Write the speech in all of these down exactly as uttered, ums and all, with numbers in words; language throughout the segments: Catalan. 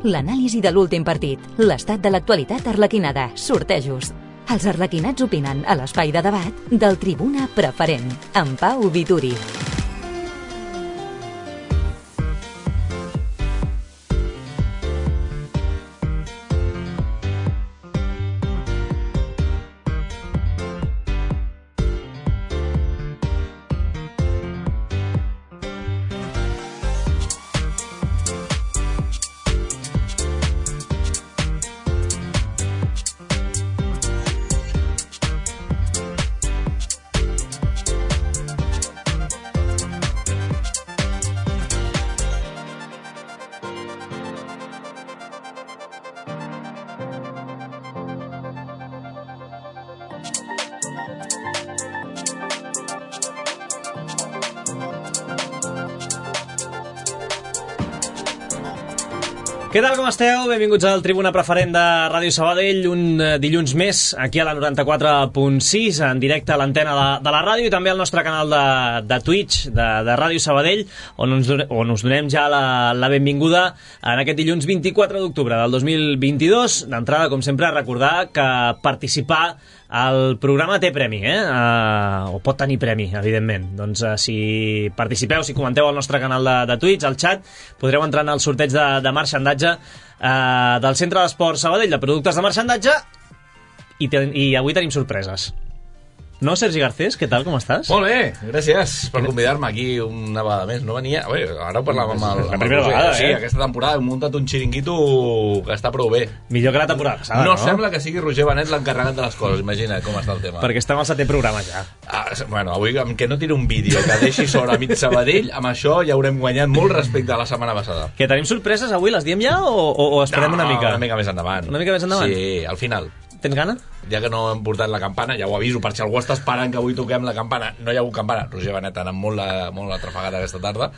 L'anàlisi de l'últim partit, l'estat de l'actualitat arlequinada, sortejos. Els arlequinats opinen a l'espai de debat del Tribuna Preferent, amb Pau Vituri. Què tal, com esteu? Benvinguts al Tribuna Preferent de Ràdio Sabadell, un dilluns més aquí a la noranta-quatre punt sis, en directe a l'antena de, de la ràdio i també al nostre canal de, de Twitch de, de Ràdio Sabadell, on us, on us donem ja la, la benvinguda en aquest dilluns vint-i-quatre d'octubre del dos mil vint-i-dos. D'entrada, com sempre, recordar que participar el programa té premi, eh? Uh, o pot tenir premi, evidentment. Doncs uh, si participeu, si comenteu al nostre canal de, de Twitch, al chat, podreu entrar en el sorteig de, de marxandatge uh, del Centre d'Esport Sabadell de productes de marxandatge i, ten, i avui tenim sorpreses. No, Sergi Garcés, què tal, com estàs? Molt bé, gràcies per convidar-me aquí una vegada més. No venia... Bé, ara ho parlàvem amb el... La primera vegada, sí, eh? Aquesta temporada hem muntat un xiringuito que està prou bé. Millor que la temporada passada, no? No sembla que sigui Roger Benet l'encarregat de les coses, imagina com està el tema. Perquè estem al setè programa ja. Ah, bueno, avui amb que no tiri un vídeo que deixi sobre a mig Sabadell, amb això ja haurem guanyat molt respecte a la setmana passada. Que tenim sorpreses avui, les diem ja o, o, o esperem no, una mica? una mica més endavant. Una mica més endavant? Sí, al final. Tens gana? Ja que no hem portat la campana, ja ho aviso, per si algú està esperant que avui toquem la campana. No hi ha hagut campana. Roger Benet ha anat molt la, molt la trafegada aquesta tarda,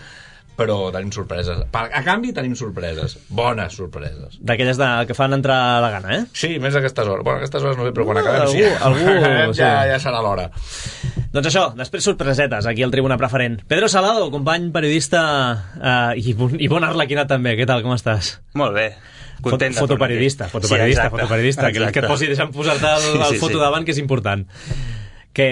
però tenim sorpreses. A canvi tenim sorpreses. Bones sorpreses. D'aquelles de, que fan entrar la gana, eh? Sí, més a aquestes hores. Bueno, a aquestes hores no sé, però quan acabem algú, sí. Algú, ja, sí. ja serà l'hora. Doncs això, després sorpresetes aquí al Tribuna Preferent. Pedro Salado, company periodista eh, i, bon, i bon arlequinat també. Què tal, com estàs? Molt bé. Content de fotoperiodista, fotoperiodista, sí, fotoperiodista, que, que et posi, deixa'm posar-te el, el sí, foto sí. davant, que és important. Que,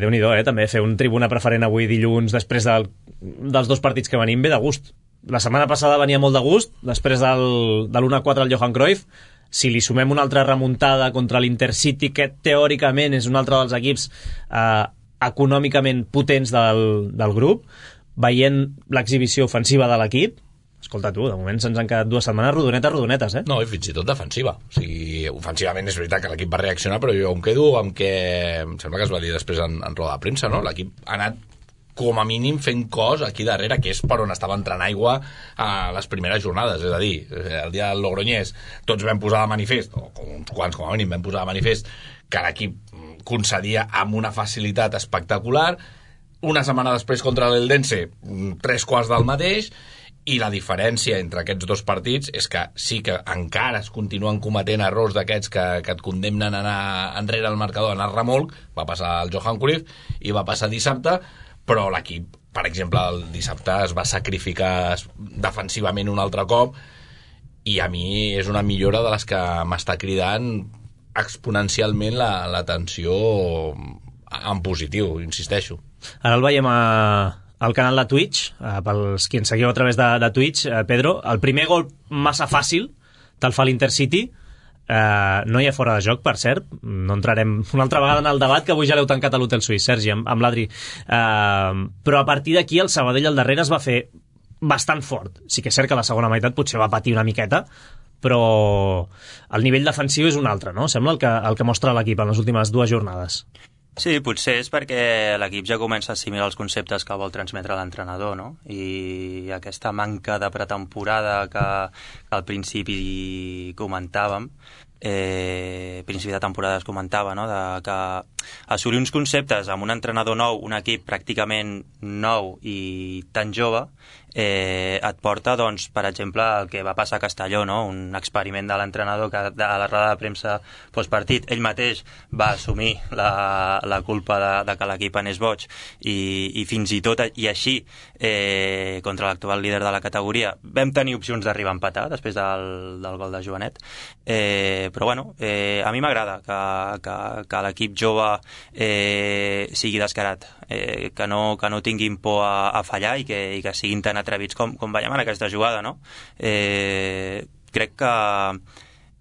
Déu-n'hi-do, eh, també fer un Tribuna Preferent avui dilluns després del, dels dos partits que venim, ve de gust. La setmana passada venia molt de gust, després del, de l'u a quatre al Johan Cruyff. Si li sumem una altra remuntada contra l'Intercity, que teòricament és un altre dels equips eh, econòmicament potents del, del grup, veient l'exhibició ofensiva de l'equip, escolta tu, de moment se'ns han quedat dues setmanes rodonetes, rodonetes, eh? No, i fins i tot defensiva. O sigui, ofensivament és veritat que l'equip va reaccionar, però jo em quedo amb que... Em sembla que es va dir després en, en roda de premsa, no? L'equip ha anat com a mínim fent cos aquí darrere, que és per on estava entrant aigua a les primeres jornades. És a dir, el dia del Logroñés tots vam posar de manifest, o uns quants com a mínim vam posar de manifest, que l'equip concedia amb una facilitat espectacular. Una setmana després contra l'Eldense, tres quarts del mateix, i la diferència entre aquests dos partits és que sí que encara es continuen cometent errors d'aquests que, que et condemnen a anar enrere al marcador, a anar remolc. Va passar el Johan Cruyff i va passar dissabte, però l'equip, per exemple, el dissabte es va sacrificar defensivament un altre cop i a mi és una millora de les que m'està cridant exponencialment la, la tensió en positiu, insisteixo. Ara el veiem a... al canal de Twitch, eh, pels qui ens seguiu a través de, de Twitch, eh, Pedro, el primer gol massa fàcil te'l fa l'Intercity, eh, no hi ha fora de joc, per cert, no entrarem una altra vegada en el debat, que avui ja l'heu tancat a l'Hotel Suís, Sergi, amb, amb l'Adri, eh, però a partir d'aquí el Sabadell al darrere es va fer bastant fort. Sí que és cert que la segona meitat potser va patir una miqueta, però el nivell defensiu és un altre, no? Sembla el que, el que mostra l'equip en les últimes dues jornades. Sí, potser és perquè l'equip ja comença a assimilar els conceptes que vol transmetre l'entrenador, no? I aquesta manca de pretemporada que, que al principi comentàvem, eh, principi de temporada es comentava, no? De que assolir uns conceptes amb un entrenador nou, un equip pràcticament nou i tan jove, eh, et porta, doncs, per exemple, el que va passar a Castelló, no? Un experiment de l'entrenador que de la roda de premsa postpartit, ell mateix va assumir la, la culpa de, de que l'equip anés boig i, i fins i tot, i així eh, contra l'actual líder de la categoria vam tenir opcions d'arribar a empatar després del, del gol de Joanet, eh, però bueno, eh, a mi m'agrada que, que, que l'equip jove eh, sigui descarat, eh, que, no, que no tinguin por a, a fallar i que, i que siguin tan atrevits com, com veiem en aquesta jugada, no? Eh, crec que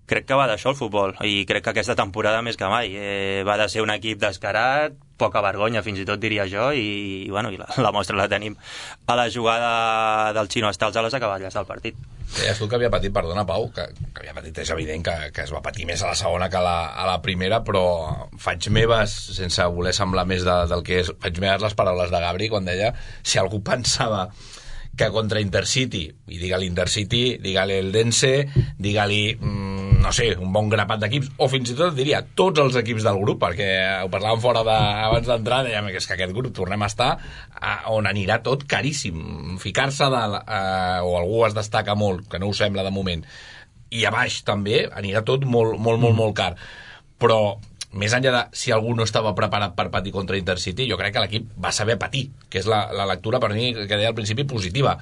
crec que va d'això el futbol, i crec que aquesta temporada més que mai eh, va de ser un equip descarat, poca vergonya fins i tot diria jo, i, i, bueno, i la, la mostra la tenim a la jugada del Xino Estals a les acaballes del partit. Deies tu que havia patit, perdona Pau, que, que havia patit, és evident que, que es va patir més a la segona que a la, a la primera, però faig meves, sense voler semblar més de, del que és, faig meves les paraules de Gabri quan deia si algú pensava que contra Intercity, i digue-li Intercity, digue-li el Dense, digue-li, mmm, no sé, un bon grapat d'equips, o fins i tot diria tots els equips del grup, perquè ho parlàvem fora de, abans d'entrar, dèiem que és que aquest grup tornem a estar a, on anirà tot caríssim. Ficar-se dalt, eh, o algú es destaca molt, que no ho sembla de moment, i a baix també anirà tot molt, molt, molt, molt car. Però més enllà de si algú no estava preparat per patir contra Intercity, jo crec que l'equip va saber patir, que és la, la lectura per mi que deia al principi positiva.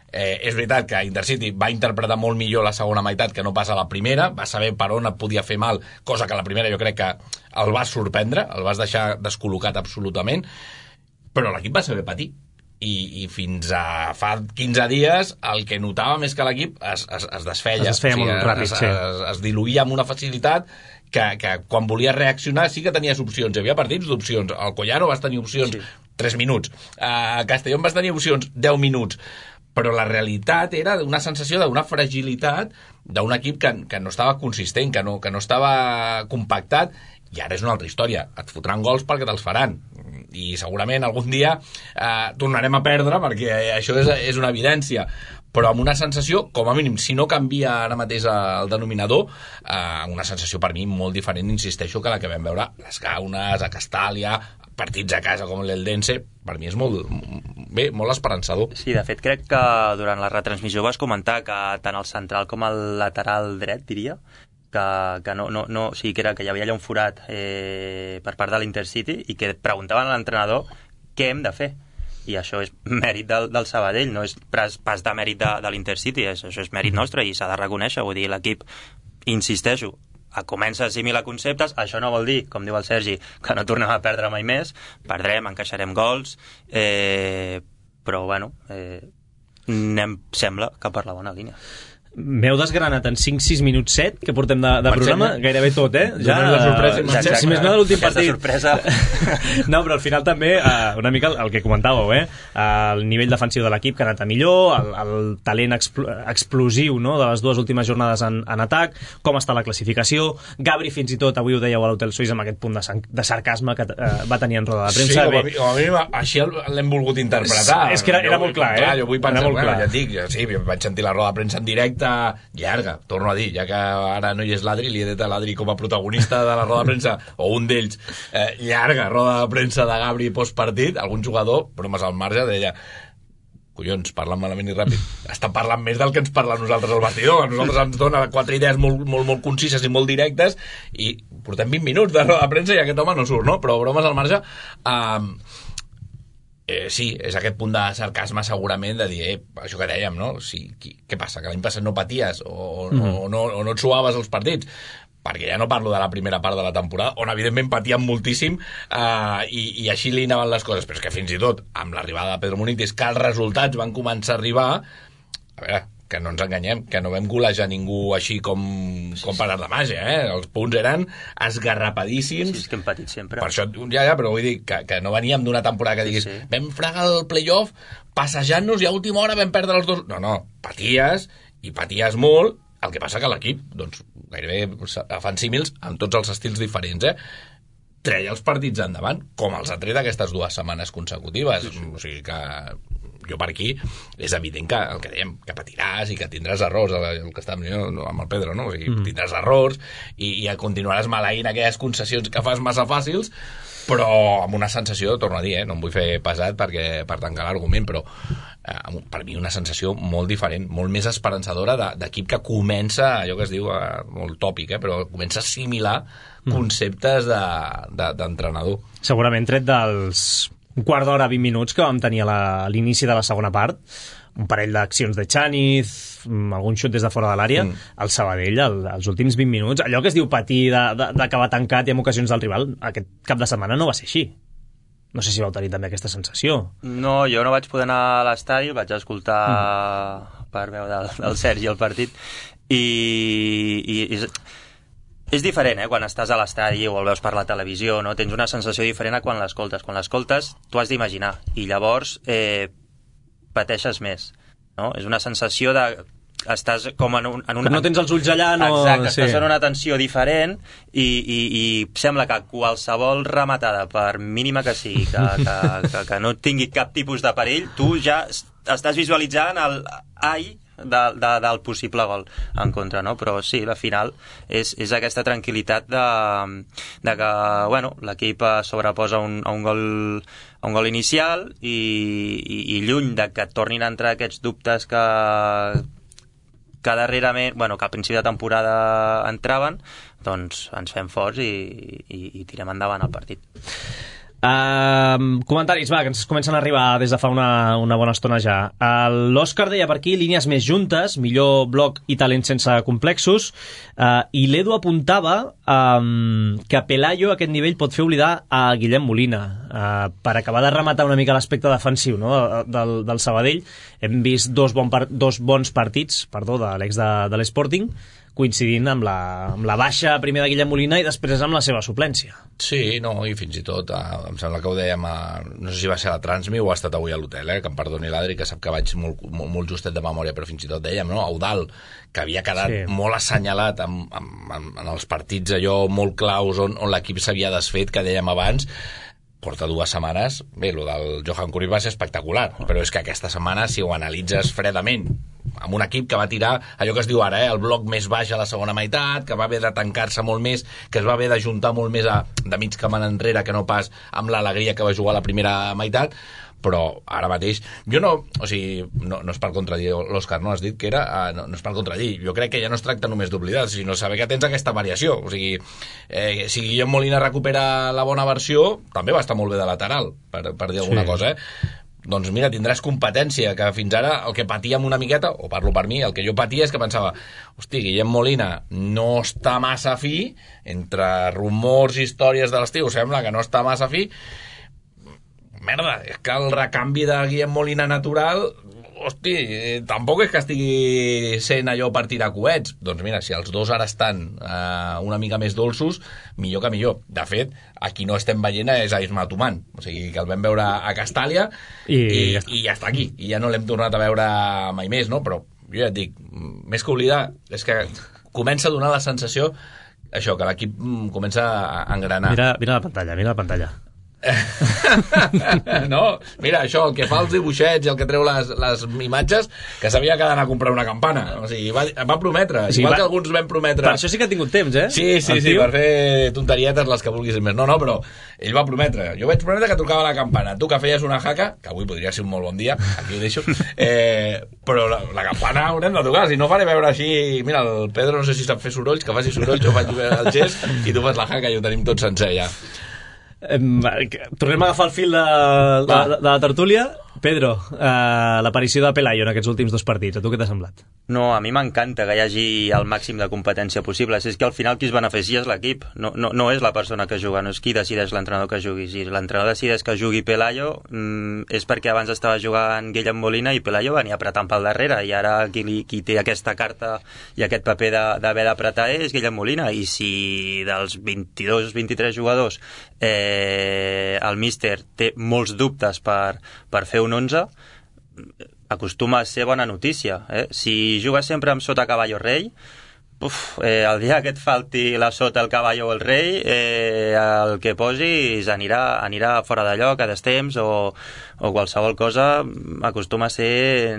Eh, és veritat que Intercity va interpretar molt millor la segona meitat que no pas a la primera, va saber per on et podia fer mal, cosa que a la primera jo crec que el vas sorprendre, el vas deixar descol·locat absolutament, però l'equip va saber patir. I, i fins a fa quinze dies el que notàvem és que l'equip es, es, es desfeia, es desfeia o sigui, molt ràpid, es, sí. es, es diluïa amb una facilitat que, que quan volia reaccionar sí que tenies opcions, hi havia partits d'opcions, al Collaro vas tenir opcions sí. tres minuts, a Castellón vas tenir opcions deu minuts, però la realitat era una sensació d'una fragilitat d'un equip que, que no estava consistent, que no, que no estava compactat, i ara és una altra història, et fotran gols perquè te'ls faran, i segurament algun dia eh, tornarem a perdre, perquè això és, és una evidència, però amb una sensació, com a mínim, si no canvia ara mateix el denominador, eh, una sensació per mi molt diferent, insisteixo, que la que vam veure a les Gaunes, a Castàlia, partits a casa com l'Eldense, per mi és molt, bé, molt esperançador. Sí, de fet crec que durant la retransmissió vas comentar que tant el central com el lateral dret, diria, que, que no, no, no, o sigui, que, era, que hi havia allà un forat eh, per part de l'Intercity i que preguntaven a l'entrenador què hem de fer. I això és mèrit del, del Sabadell, no és pas, pas de mèrit de, de l'Intercity, és, això és mèrit nostre i s'ha de reconèixer, vull dir, l'equip, insisteixo, comença a assimilar conceptes, això no vol dir, com diu el Sergi, que no tornem a perdre mai més, perdrem, encaixarem gols, eh, però bueno, eh, anem, sembla que per la bona línia. M'heu desgranat en cinc sis minuts set que portem de, de programa, gairebé tot, eh? Ja, la sorpresa, ja, si més no de l'últim partit. Sorpresa. No, però al final també, uh, una mica el, el que comentàveu, eh? Uh, el nivell defensiu de l'equip que ha anat a millor, el, el talent expl explosiu, no?, de les dues últimes jornades en, en atac, com està la classificació. Gabri, fins i tot, avui ho dèieu a l'Hotel Suís amb aquest punt de, de sarcasme que uh, va tenir en roda de premsa. Sí, com a, com a mi, així l'hem volgut interpretar. És, és que era, era molt clar, eh? Clar, jo vull pensar, molt bueno, clar. ja et dic, sí, vaig sentir la roda de premsa en directe, llarga, torno a dir, ja que ara no hi és l'Adri, li he dit a l'Adri com a protagonista de la roda de premsa, o un d'ells, eh, llarga roda de premsa de Gabri postpartit, algun jugador, bromes al marge, deia collons, parlen malament i ràpid, està parlant més del que ens parla a nosaltres al vestidor, a nosaltres ens dona quatre idees molt, molt, molt concises i molt directes, i portem vint minuts de roda de premsa i aquest home no surt, no? Però bromes al marge, eh, Eh, sí, és aquest punt de sarcasme segurament de dir, eh, això que dèiem, no? Si, qui, què passa, que l'any passat no paties o, mm. o, no, o no et suaves els partits? Perquè ja no parlo de la primera part de la temporada, on evidentment patíem moltíssim eh, i, i així li anaven les coses, però és que fins i tot amb l'arribada de Pedro Munitis, que els resultats van començar a arribar, a veure, que no ens enganyem, que no vam golejar ningú així com, com per art de màgia, eh? Els punts eren esgarrapadíssims. Sí, és que hem patit sempre. Per això, ja, ja, però vull dir que, que no veníem d'una temporada que diguis, sí, sí. Vam fregar el playoff passejant-nos i a última hora vam perdre els dos. No, no, paties, i paties molt, el que passa que l'equip, doncs, gairebé fan símils amb tots els estils diferents, eh? Treia els partits endavant, com els ha tret aquestes dues setmanes consecutives. Sí, sí. O sigui que jo per aquí és evident que el que dèiem, que patiràs i que tindràs errors, el que estàvem dient amb el Pedro, no? O sigui, mm. tindràs errors i, i continuaràs maleint aquelles concessions que fas massa fàcils, però amb una sensació, torno a dir, eh? No em vull fer pesat perquè per tancar l'argument, però eh, per mi una sensació molt diferent, molt més esperançadora de, d'equip que comença, allò que es diu eh, molt tòpic, eh, però comença a assimilar conceptes de, de, d'entrenador. Segurament tret dels un quart d'hora, vint minuts que vam tenir a, la, a l'inici de la segona part, un parell d'accions de Chaniz, algun xut des de fora de l'àrea, mm. el Sabadell, el, els últims vint minuts, allò que es diu patir de, de, d'acabar tancat i amb ocasions del rival, aquest cap de setmana no va ser així. No sé si vau tenir també aquesta sensació. No, jo no vaig poder anar a l'estadi, vaig escoltar mm. per veu del, del Sergi el partit, i, i és, és diferent, eh, quan estàs a l'estadi o el veus per la televisió, no? Tens una sensació diferent a quan l'escoltes. Quan l'escoltes, tu has d'imaginar, i llavors eh, pateixes més, no? És una sensació de... estàs com en un... En un... Com no tens els ulls allà, no... Exacte, sí. Estàs en una tensió diferent i, i, i sembla que qualsevol rematada, per mínima que sigui, que, que, que, que no tingui cap tipus de perill, tu ja estàs visualitzant el ai de, de, del possible gol en contra, no? Però sí, la final és, és aquesta tranquil·litat de, de que, bueno, l'equip sobreposa un, a un gol a un gol inicial i, i, i lluny de que tornin a entrar aquests dubtes que que darrerament, bueno, que al principi de temporada entraven, doncs ens fem forts i, i, i tirem endavant el partit. Uh, comentaris, va, que ens comencen a arribar des de fa una, una bona estona ja. Uh, L'Òscar deia per aquí, línies més juntes, millor bloc i talent sense complexos, uh, i l'Edu apuntava um, que Pelayo a aquest nivell pot fer oblidar a Guillem Molina, uh, per acabar de rematar una mica l'aspecte defensiu, no?, del, del Sabadell. Hem vist dos, bon par- dos bons partits, perdó, de l'ex de, de l'Sporting, coincidint amb la, amb la baixa primer de Guillem Molina i després amb la seva suplència. Sí, no, i fins i tot, eh, em sembla que ho dèiem, a, no sé si va ser a la Transmi o ha estat avui a l'hotel, eh, que em perdoni l'Adri, que sap que vaig molt, molt, molt justet de memòria, però fins i tot dèiem, no, Eudal, que havia quedat sí. molt assenyalat en, en, en, en els partits allò molt claus on, on l'equip s'havia desfet, que dèiem abans, porta dues setmanes, bé, el del Johan Cruyff va ser espectacular, però és que aquesta setmana, si ho analitzes fredament, amb un equip que va tirar allò que es diu ara, eh, el bloc més baix a la segona meitat, que va haver de tancar-se molt més, que es va haver d'ajuntar molt més a, de mig camp enrere que no pas amb l'alegria que va jugar a la primera meitat, però ara mateix, jo no, o sigui, no, no és per contradir l'Òscar, no has dit que era, uh, no, no és per contradir, jo crec que ja no es tracta només d'oblidar, sinó saber que tens aquesta variació, o sigui, eh, si Guillem Molina recupera la bona versió, també va estar molt bé de lateral, per, per dir alguna sí. cosa, eh? Doncs mira, tindràs competència, que fins ara el que patíem una miqueta, o parlo per mi, el que jo patia és que pensava, hosti, Guillem Molina no està massa fi, entre rumors i històries de l'estiu, sembla que no està massa fi, merda, és que el recanvi de Guillem Molina natural, hosti, eh, tampoc és que estigui sent allò per tirar coets. Doncs mira, si els dos ara estan eh, una mica més dolços, millor que millor. De fet, aquí no estem veient és a Isma Tuman, o sigui que el vam veure a Castàlia i, i, ja, i ja està aquí, i ja no l'hem tornat a veure mai més, no? Però jo ja et dic, més que oblidar, és que comença a donar la sensació això, que l'equip comença a engranar. Mira, mira la pantalla, mira la pantalla. No, mira, això, el que fa els dibuixets i el que treu les, les imatges, que sabia que ha d'anar a comprar una campana, o sigui, va, va prometre, o sigui, igual va, que alguns vam prometre. Per això sí que ha tingut temps, eh? Sí, sí, el sí, tio? Per fer tonterietes les que vulguis més. No, no, però ell va prometre, jo vaig prometre que trucava la campana, tu que feies una jaca, que avui podria ser un molt bon dia, aquí ho deixo, eh, però la, la campana haurem de tocar, si no faré veure així, mira, el Pedro no sé si sap fer sorolls, que faci sorolls, jo faig el gest i tu fas la jaca i ho tenim tot sencer ja. Eh, tornem a agafar el fil de, de, de, de la tertúlia. Pedro, eh, l'aparició de Pelayo en aquests últims dos partits, a tu què t'ha semblat? No, a mi m'encanta que hi hagi el màxim de competència possible. Si és que al final qui es beneficia és l'equip, no, no, no és la persona que juga, no és qui decideix l'entrenador que jugui. Si l'entrenador decideix que jugui Pelayo, mm, és perquè abans estava jugant Guillem Molina i Pelayo venia apretant pel darrere, i ara qui, li, qui té aquesta carta i aquest paper d'haver d'apretar és Guillem Molina, i si dels vint-i-dos vint-i-tres jugadors eh, el míster té molts dubtes per, per fer un onze, acostuma a ser bona notícia, eh? Si jugues sempre amb sota caballo rei, uf, eh, el dia que et falti la sota el caballo o el rei, eh, el que posis anirà, anirà fora de lloc a destemps o, o qualsevol cosa acostuma a ser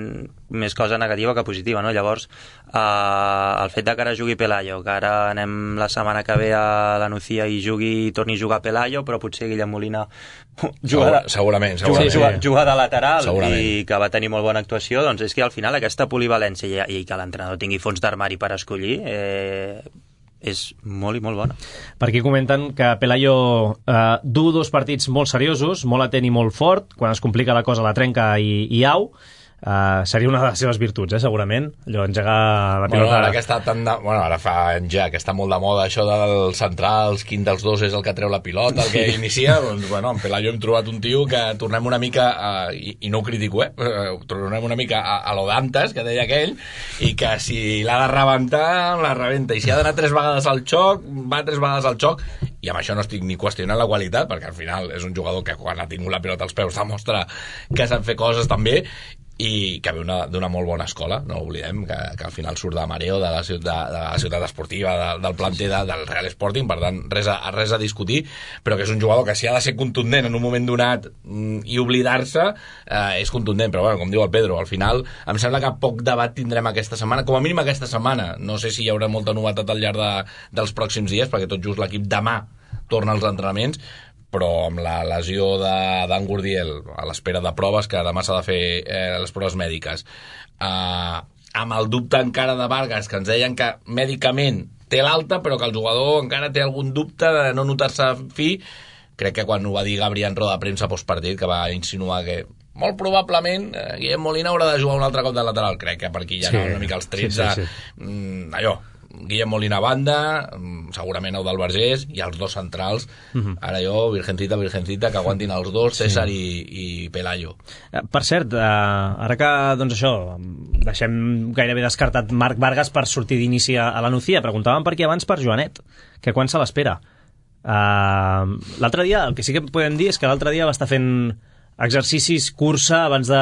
més cosa negativa que positiva, no? Llavors, eh, el fet de que ara jugui Pelayo, que ara anem la setmana que ve a la Nucía i jugui i torni a jugar Pelayo, però potser Guillem Molina juga de, segurament, segurament. Juga, juga de lateral segurament. I que va tenir molt bona actuació, doncs és que al final aquesta polivalència i, i que l'entrenador tingui fons d'armari per escollir eh, és molt i molt bona. Per aquí comenten que Pelayo eh, du dos partits molt seriosos, molt atent i molt fort, quan es complica la cosa la trenca i, i au. Uh, seria una de les seves virtuts, eh, segurament, allò, engegar la pilota. Bueno, ara que està tan de... bueno, ara fa ja que està molt de moda això dels centrals, quin dels dos és el que treu la pilota, el que inicia, doncs, bueno, en Pelayo hem trobat un tio que tornem una mica, uh, i, i no ho critico, eh, uh, tornem una mica a, a lo d'antes, que deia aquell, i que si l'ha de rebentar, la rebenta, i si ha d'anar tres vegades al xoc, va tres vegades al xoc, i amb això no estic ni qüestionant la qualitat, perquè al final és un jugador que quan ha tingut la pilota als peus demostra que sap fer coses també, i que ve d'una molt bona escola, no oblidem que, que al final surt de Mareo, de la ciutat, de la ciutat esportiva, de, del planter de, del Real Sporting, per tant res a, res a discutir, però que és un jugador que si ha de ser contundent en un moment donat mm, i oblidar-se, eh, és contundent, però bueno, com diu el Pedro, al final em sembla que poc debat tindrem aquesta setmana, com a mínim aquesta setmana, no sé si hi haurà molta novetat al llarg de, dels pròxims dies, perquè tot just l'equip demà torna als entrenaments, però amb la lesió d'en Gurdiel a l'espera de proves, que demà s'ha de fer eh, les proves mèdiques, eh, amb el dubte encara de Vargas, que ens deien que mèdicament té l'alta, però que el jugador encara té algun dubte de no notar-se fi, crec que quan ho va dir Gabri en roda de premsa postpartit, que va insinuar que molt probablement eh, Guillem Molina haurà de jugar un altre cop de lateral, crec que per aquí ja sí, no una mica els trets sí, sí, sí. Mm, allò, Guillem Molina a banda, segurament Eudald Vergés, i els dos centrals, uh-huh. ara jo, Virgencita, Virgencita, que aguantin els dos, César sí. i, i Pelayo. Per cert, eh, ara que, doncs això, deixem gairebé descartat Marc Vargas per sortir d'inici a la Nucía, preguntàvem per aquí abans per Joanet, que quan se l'espera. Uh, l'altre dia, el que sí que podem dir és que l'altre dia va estar fent exercicis, cursa, abans de,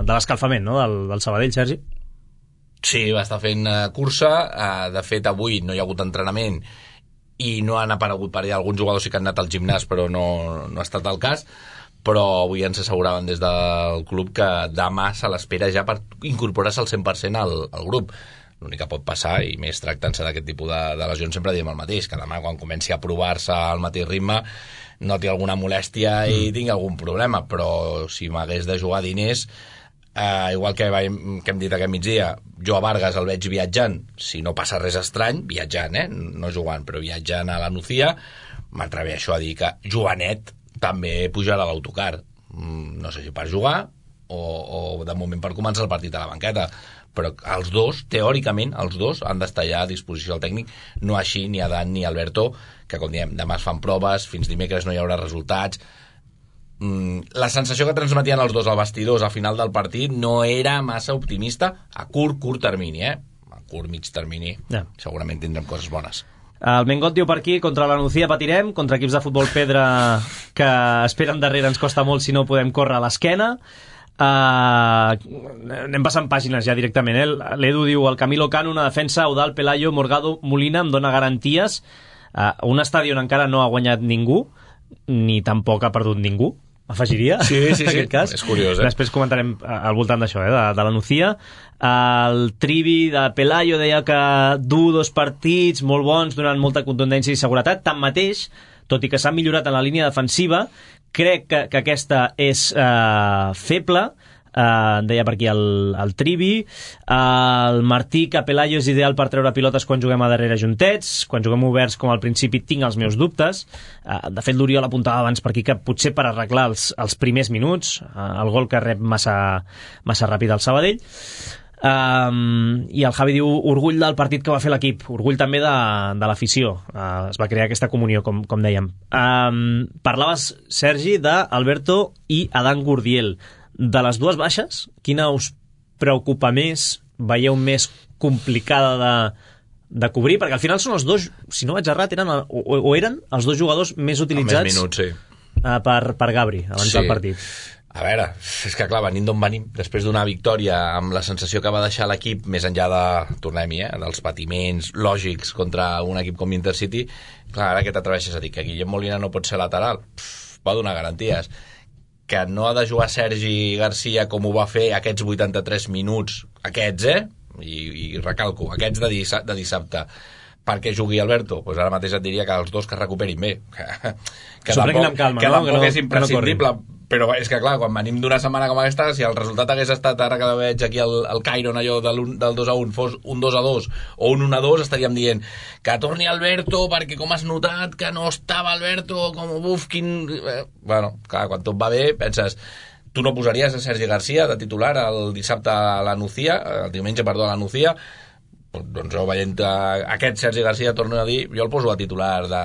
de l'escalfament, no?, del, del Sabadell, Sergi? Sí, va estar fent uh, cursa, uh, de fet avui no hi ha hagut entrenament i no han aparegut per allà, alguns jugadors sí que han anat al gimnàs però no, no ha estat el cas, però avui ens asseguraven des del club que demà se l'espera ja per incorporar-se al cent per cent al, al grup. L'únic que pot passar, i més tractant-se d'aquest tipus de, de lesions, sempre diem el mateix, que demà quan comenci a provar-se al mateix ritme noti alguna molèstia i mm. tingui algun problema, però si m'hagués de jugar diners, Uh, igual que, va, que hem dit aquest migdia, jo a Vargas el veig viatjant, si no passa res estrany, viatjant, eh? no jugant, però viatjant a la Nucía, m'atreveixo a dir que Joanet també pujarà a l'autocar, mm, no sé si per jugar o, o de moment per començar el partit a la banqueta, però els dos, teòricament, els dos han d'estar ja a disposició del tècnic, no així ni Adán ni Alberto, que com diem, demà es fan proves, fins dimecres no hi haurà resultats. La sensació que transmetien els dos al vestidors a final del partit no era massa optimista a curt, curt termini, eh? A curt, mig termini, ja. Segurament tindrem coses bones. El Mengot diu per aquí, contra la Nucía patirem, contra equips de futbol pedra que esperen darrere ens costa molt si no podem córrer a l'esquena. Uh, anem passant pàgines ja directament, eh? L'Edu diu, el Camilo Cano, una defensa, Eudald, Pelayo, Morgado, Molina, em dona garanties. Uh, un estadi on encara no ha guanyat ningú, ni tampoc ha perdut ningú, afegiria, sí, sí, sí. aquest cas. És curiós, eh? Després comentarem al voltant d'això, eh? de, de la Nucía. El Trivi de Pelayo deia que du dos partits molt bons, donant molta contundència i seguretat. Tanmateix, tot i que s'ha millorat en la línia defensiva, crec que, que aquesta és eh, feble. Uh, deia per aquí el, el Trivi. Uh, el Martí, que Pelayo és ideal per treure pilotes quan juguem a darrere juntets, quan juguem oberts com al principi tinc els meus dubtes. Uh, de fet l'Oriol apuntava abans per aquí que potser per arreglar els, els primers minuts, uh, el gol que rep massa, massa ràpid al Sabadell. Um, i el Javi diu orgull del partit que va fer l'equip, orgull també de, de l'afició, uh, es va crear aquesta comunió com, com dèiem. Um, parlaves, Sergi, d'Alberto i Adán Gurdiel. De les dues baixes, quina us preocupa més, veieu més complicada de, de cobrir? Perquè al final són els dos, si no vaig errat, eren, o, o eren els dos jugadors més utilitzats més minuts, sí. uh, per, per Gabri, abans sí. del partit. A veure, és que clar, venint d'on venim, després d'una victòria amb la sensació que va deixar l'equip, més enllà de, tornem-hi, eh, dels patiments lògics contra un equip com Intercity, clar, ara que t'atreveixes a dir que Guillem Molina no pot ser lateral, pff, va donar garanties. que no ha de jugar Sergi Garcia com ho va fer aquests vuitanta-tres minuts, aquests, eh? I, i recalco, aquests de, dissa, de dissabte, perquè jugui Alberto, pues ara mateix et diria que els dos que es recuperin bé, que, que tampoc, amb calma, que no? tampoc que no, és imprescindible, no però és que clar, quan venim d'una setmana com aquesta, si el resultat hagués estat, ara que veig aquí el, el Cairon, allò del, del dos a un, fos un dos a dos o un un a dos, estaríem dient que torni Alberto, perquè com has notat que no estava Alberto, com buf, quin... Eh, bueno, clar, quan tot va bé, penses... Tu no posaries a Sergi Garcia de titular el dissabte a la Nucía, el diumenge, perdó, a la Nucía? Doncs jo veient aquest Sergi Garcia, torno a dir, jo el poso a titular de,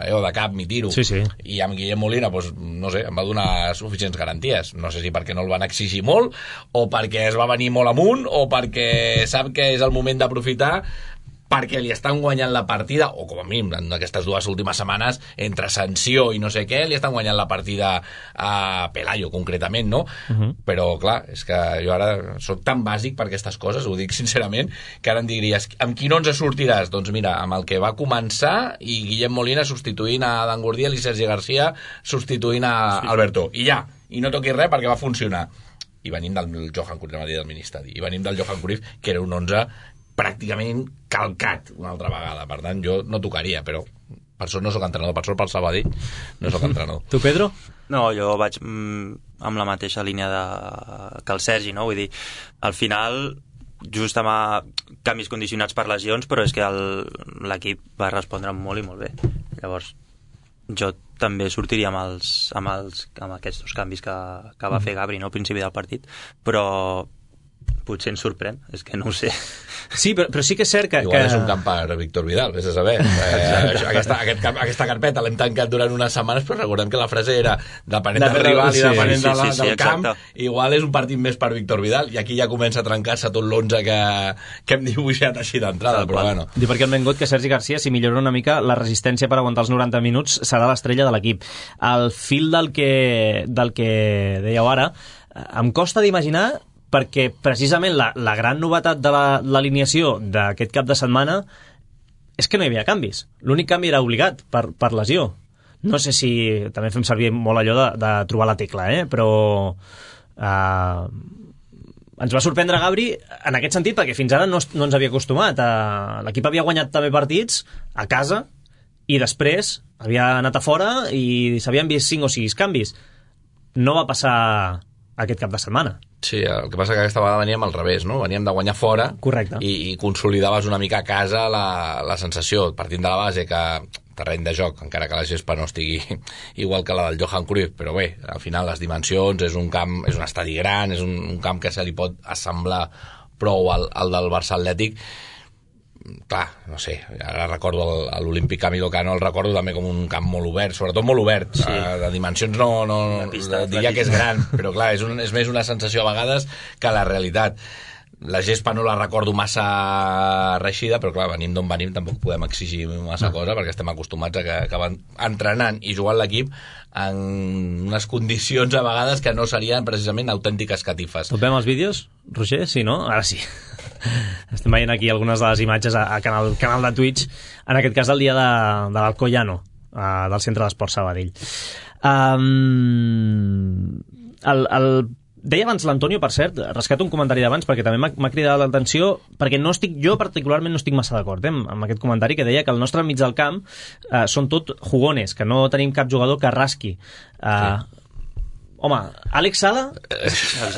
eh, de cap, m'hi tiro. Sí, sí. I amb Guillem Molina, doncs, no sé, em va donar suficients garanties. No sé si perquè no el van exigir molt, o perquè es va venir molt amunt, o perquè sap que és el moment d'aprofitar, perquè li estan guanyant la partida, o com a mínim en aquestes dues últimes setmanes, entre sanció i no sé què, li estan guanyant la partida a Pelayo, concretament, no? Uh -huh. Però, clar, és que jo ara soc tan bàsic per aquestes coses, ho dic sincerament, que ara em diries, amb quin onze sortiràs? Doncs mira, amb el que va començar, i Guillem Molina substituint a Dan Gurdiel i Sergi Garcia substituint a Alberto. I ja, i no toquis res perquè va funcionar. I venim del Johan Cruyff, del Ministeri, i venim del Johan Cruyff, que era un onze pràcticament calcat una altra vegada, per tant jo no tocaria, però per això no sóc entrenador, per això pel Sabadell no sóc entrenador. Tu, Pedro? No, jo vaig mm, amb la mateixa línia de... que el Sergi, no? Vull dir, al final just amb canvis condicionats per lesions, però és que l'equip va respondre molt i molt bé. Llavors jo també sortiria amb, els, amb, els, amb aquests dos canvis que, que va fer Gabri, no, al principi del partit, però potser ens sorprèn, és que no ho sé. Sí, però, però sí que és cert que... Igual que... és un camp per Víctor Vidal, vés a saber. Eh, aquesta, aquest, aquesta carpeta l'hem tancat durant unes setmanes, però recordem que la frase era depenent del rival i depenent sí, de la, sí, sí, del camp, igual és un partit més per Víctor Vidal, i aquí ja comença a trencar-se tot l'onze que, que hem dibuixat així d'entrada, però bueno. Diu perquè el Mengot que Sergi Garcia, si millora una mica la resistència per aguantar els noranta minuts, serà l'estrella de l'equip. Al fil del que, del que dèieu ara, em costa d'imaginar, perquè precisament la, la gran novetat de l'alineació d'aquest cap de setmana és que no hi havia canvis. L'únic canvi era obligat per, per lesió. No sé si també fem servir molt allò de, de trobar la tecla, eh? Però eh, ens va sorprendre Gabri en aquest sentit, perquè fins ara no, no ens havia acostumat. Eh, l'equip havia guanyat també partits a casa i després havia anat a fora i s'havien vist cinc o sis canvis. No va passar aquest cap de setmana. Sí, el que passa que aquesta vegada veníem al revés, no? Veníem de guanyar fora. Correcte. I, i consolidaves una mica a casa la, la sensació, partint de la base que terreny de joc, encara que la gespa no estigui igual que la del Johan Cruyff, però bé, al final les dimensions, és un camp, és un estadi gran, és un, un camp que se li pot assemblar prou al, al del Barça Atlètic. Clar, no sé, ara recordo l'Olímpic Camilo Cano, el recordo també com un camp molt obert, sobretot molt obert, sí. uh, de dimensions no, no pista, diria que és gran, però clar, és, un, és més una sensació a vegades que la realitat. La gespa no la recordo massa reixida, però clar, venim d'on venim, tampoc podem exigir massa no. cosa, perquè estem acostumats a que, que van entrenant i jugant l'equip en unes condicions a vegades que no serien precisament autèntiques catifes. Tot veiem els vídeos, Roger? Sí, no? Ara sí. Estem veient aquí algunes de les imatges a, a canal, canal de Twitch, en aquest cas del dia de, de l'Alcoyano, uh, del Centre d'Esport Sabadell. Um, el, el Deia abans l'Antonio, per cert, rescato un comentari d'abans perquè també m'ha cridat l'atenció, perquè no estic, jo particularment no estic massa d'acord eh, amb aquest comentari que deia que el nostre mig del camp eh, són tot jugones, que no tenim cap jugador que rasqui. Eh, sí. Home, Àlex Sala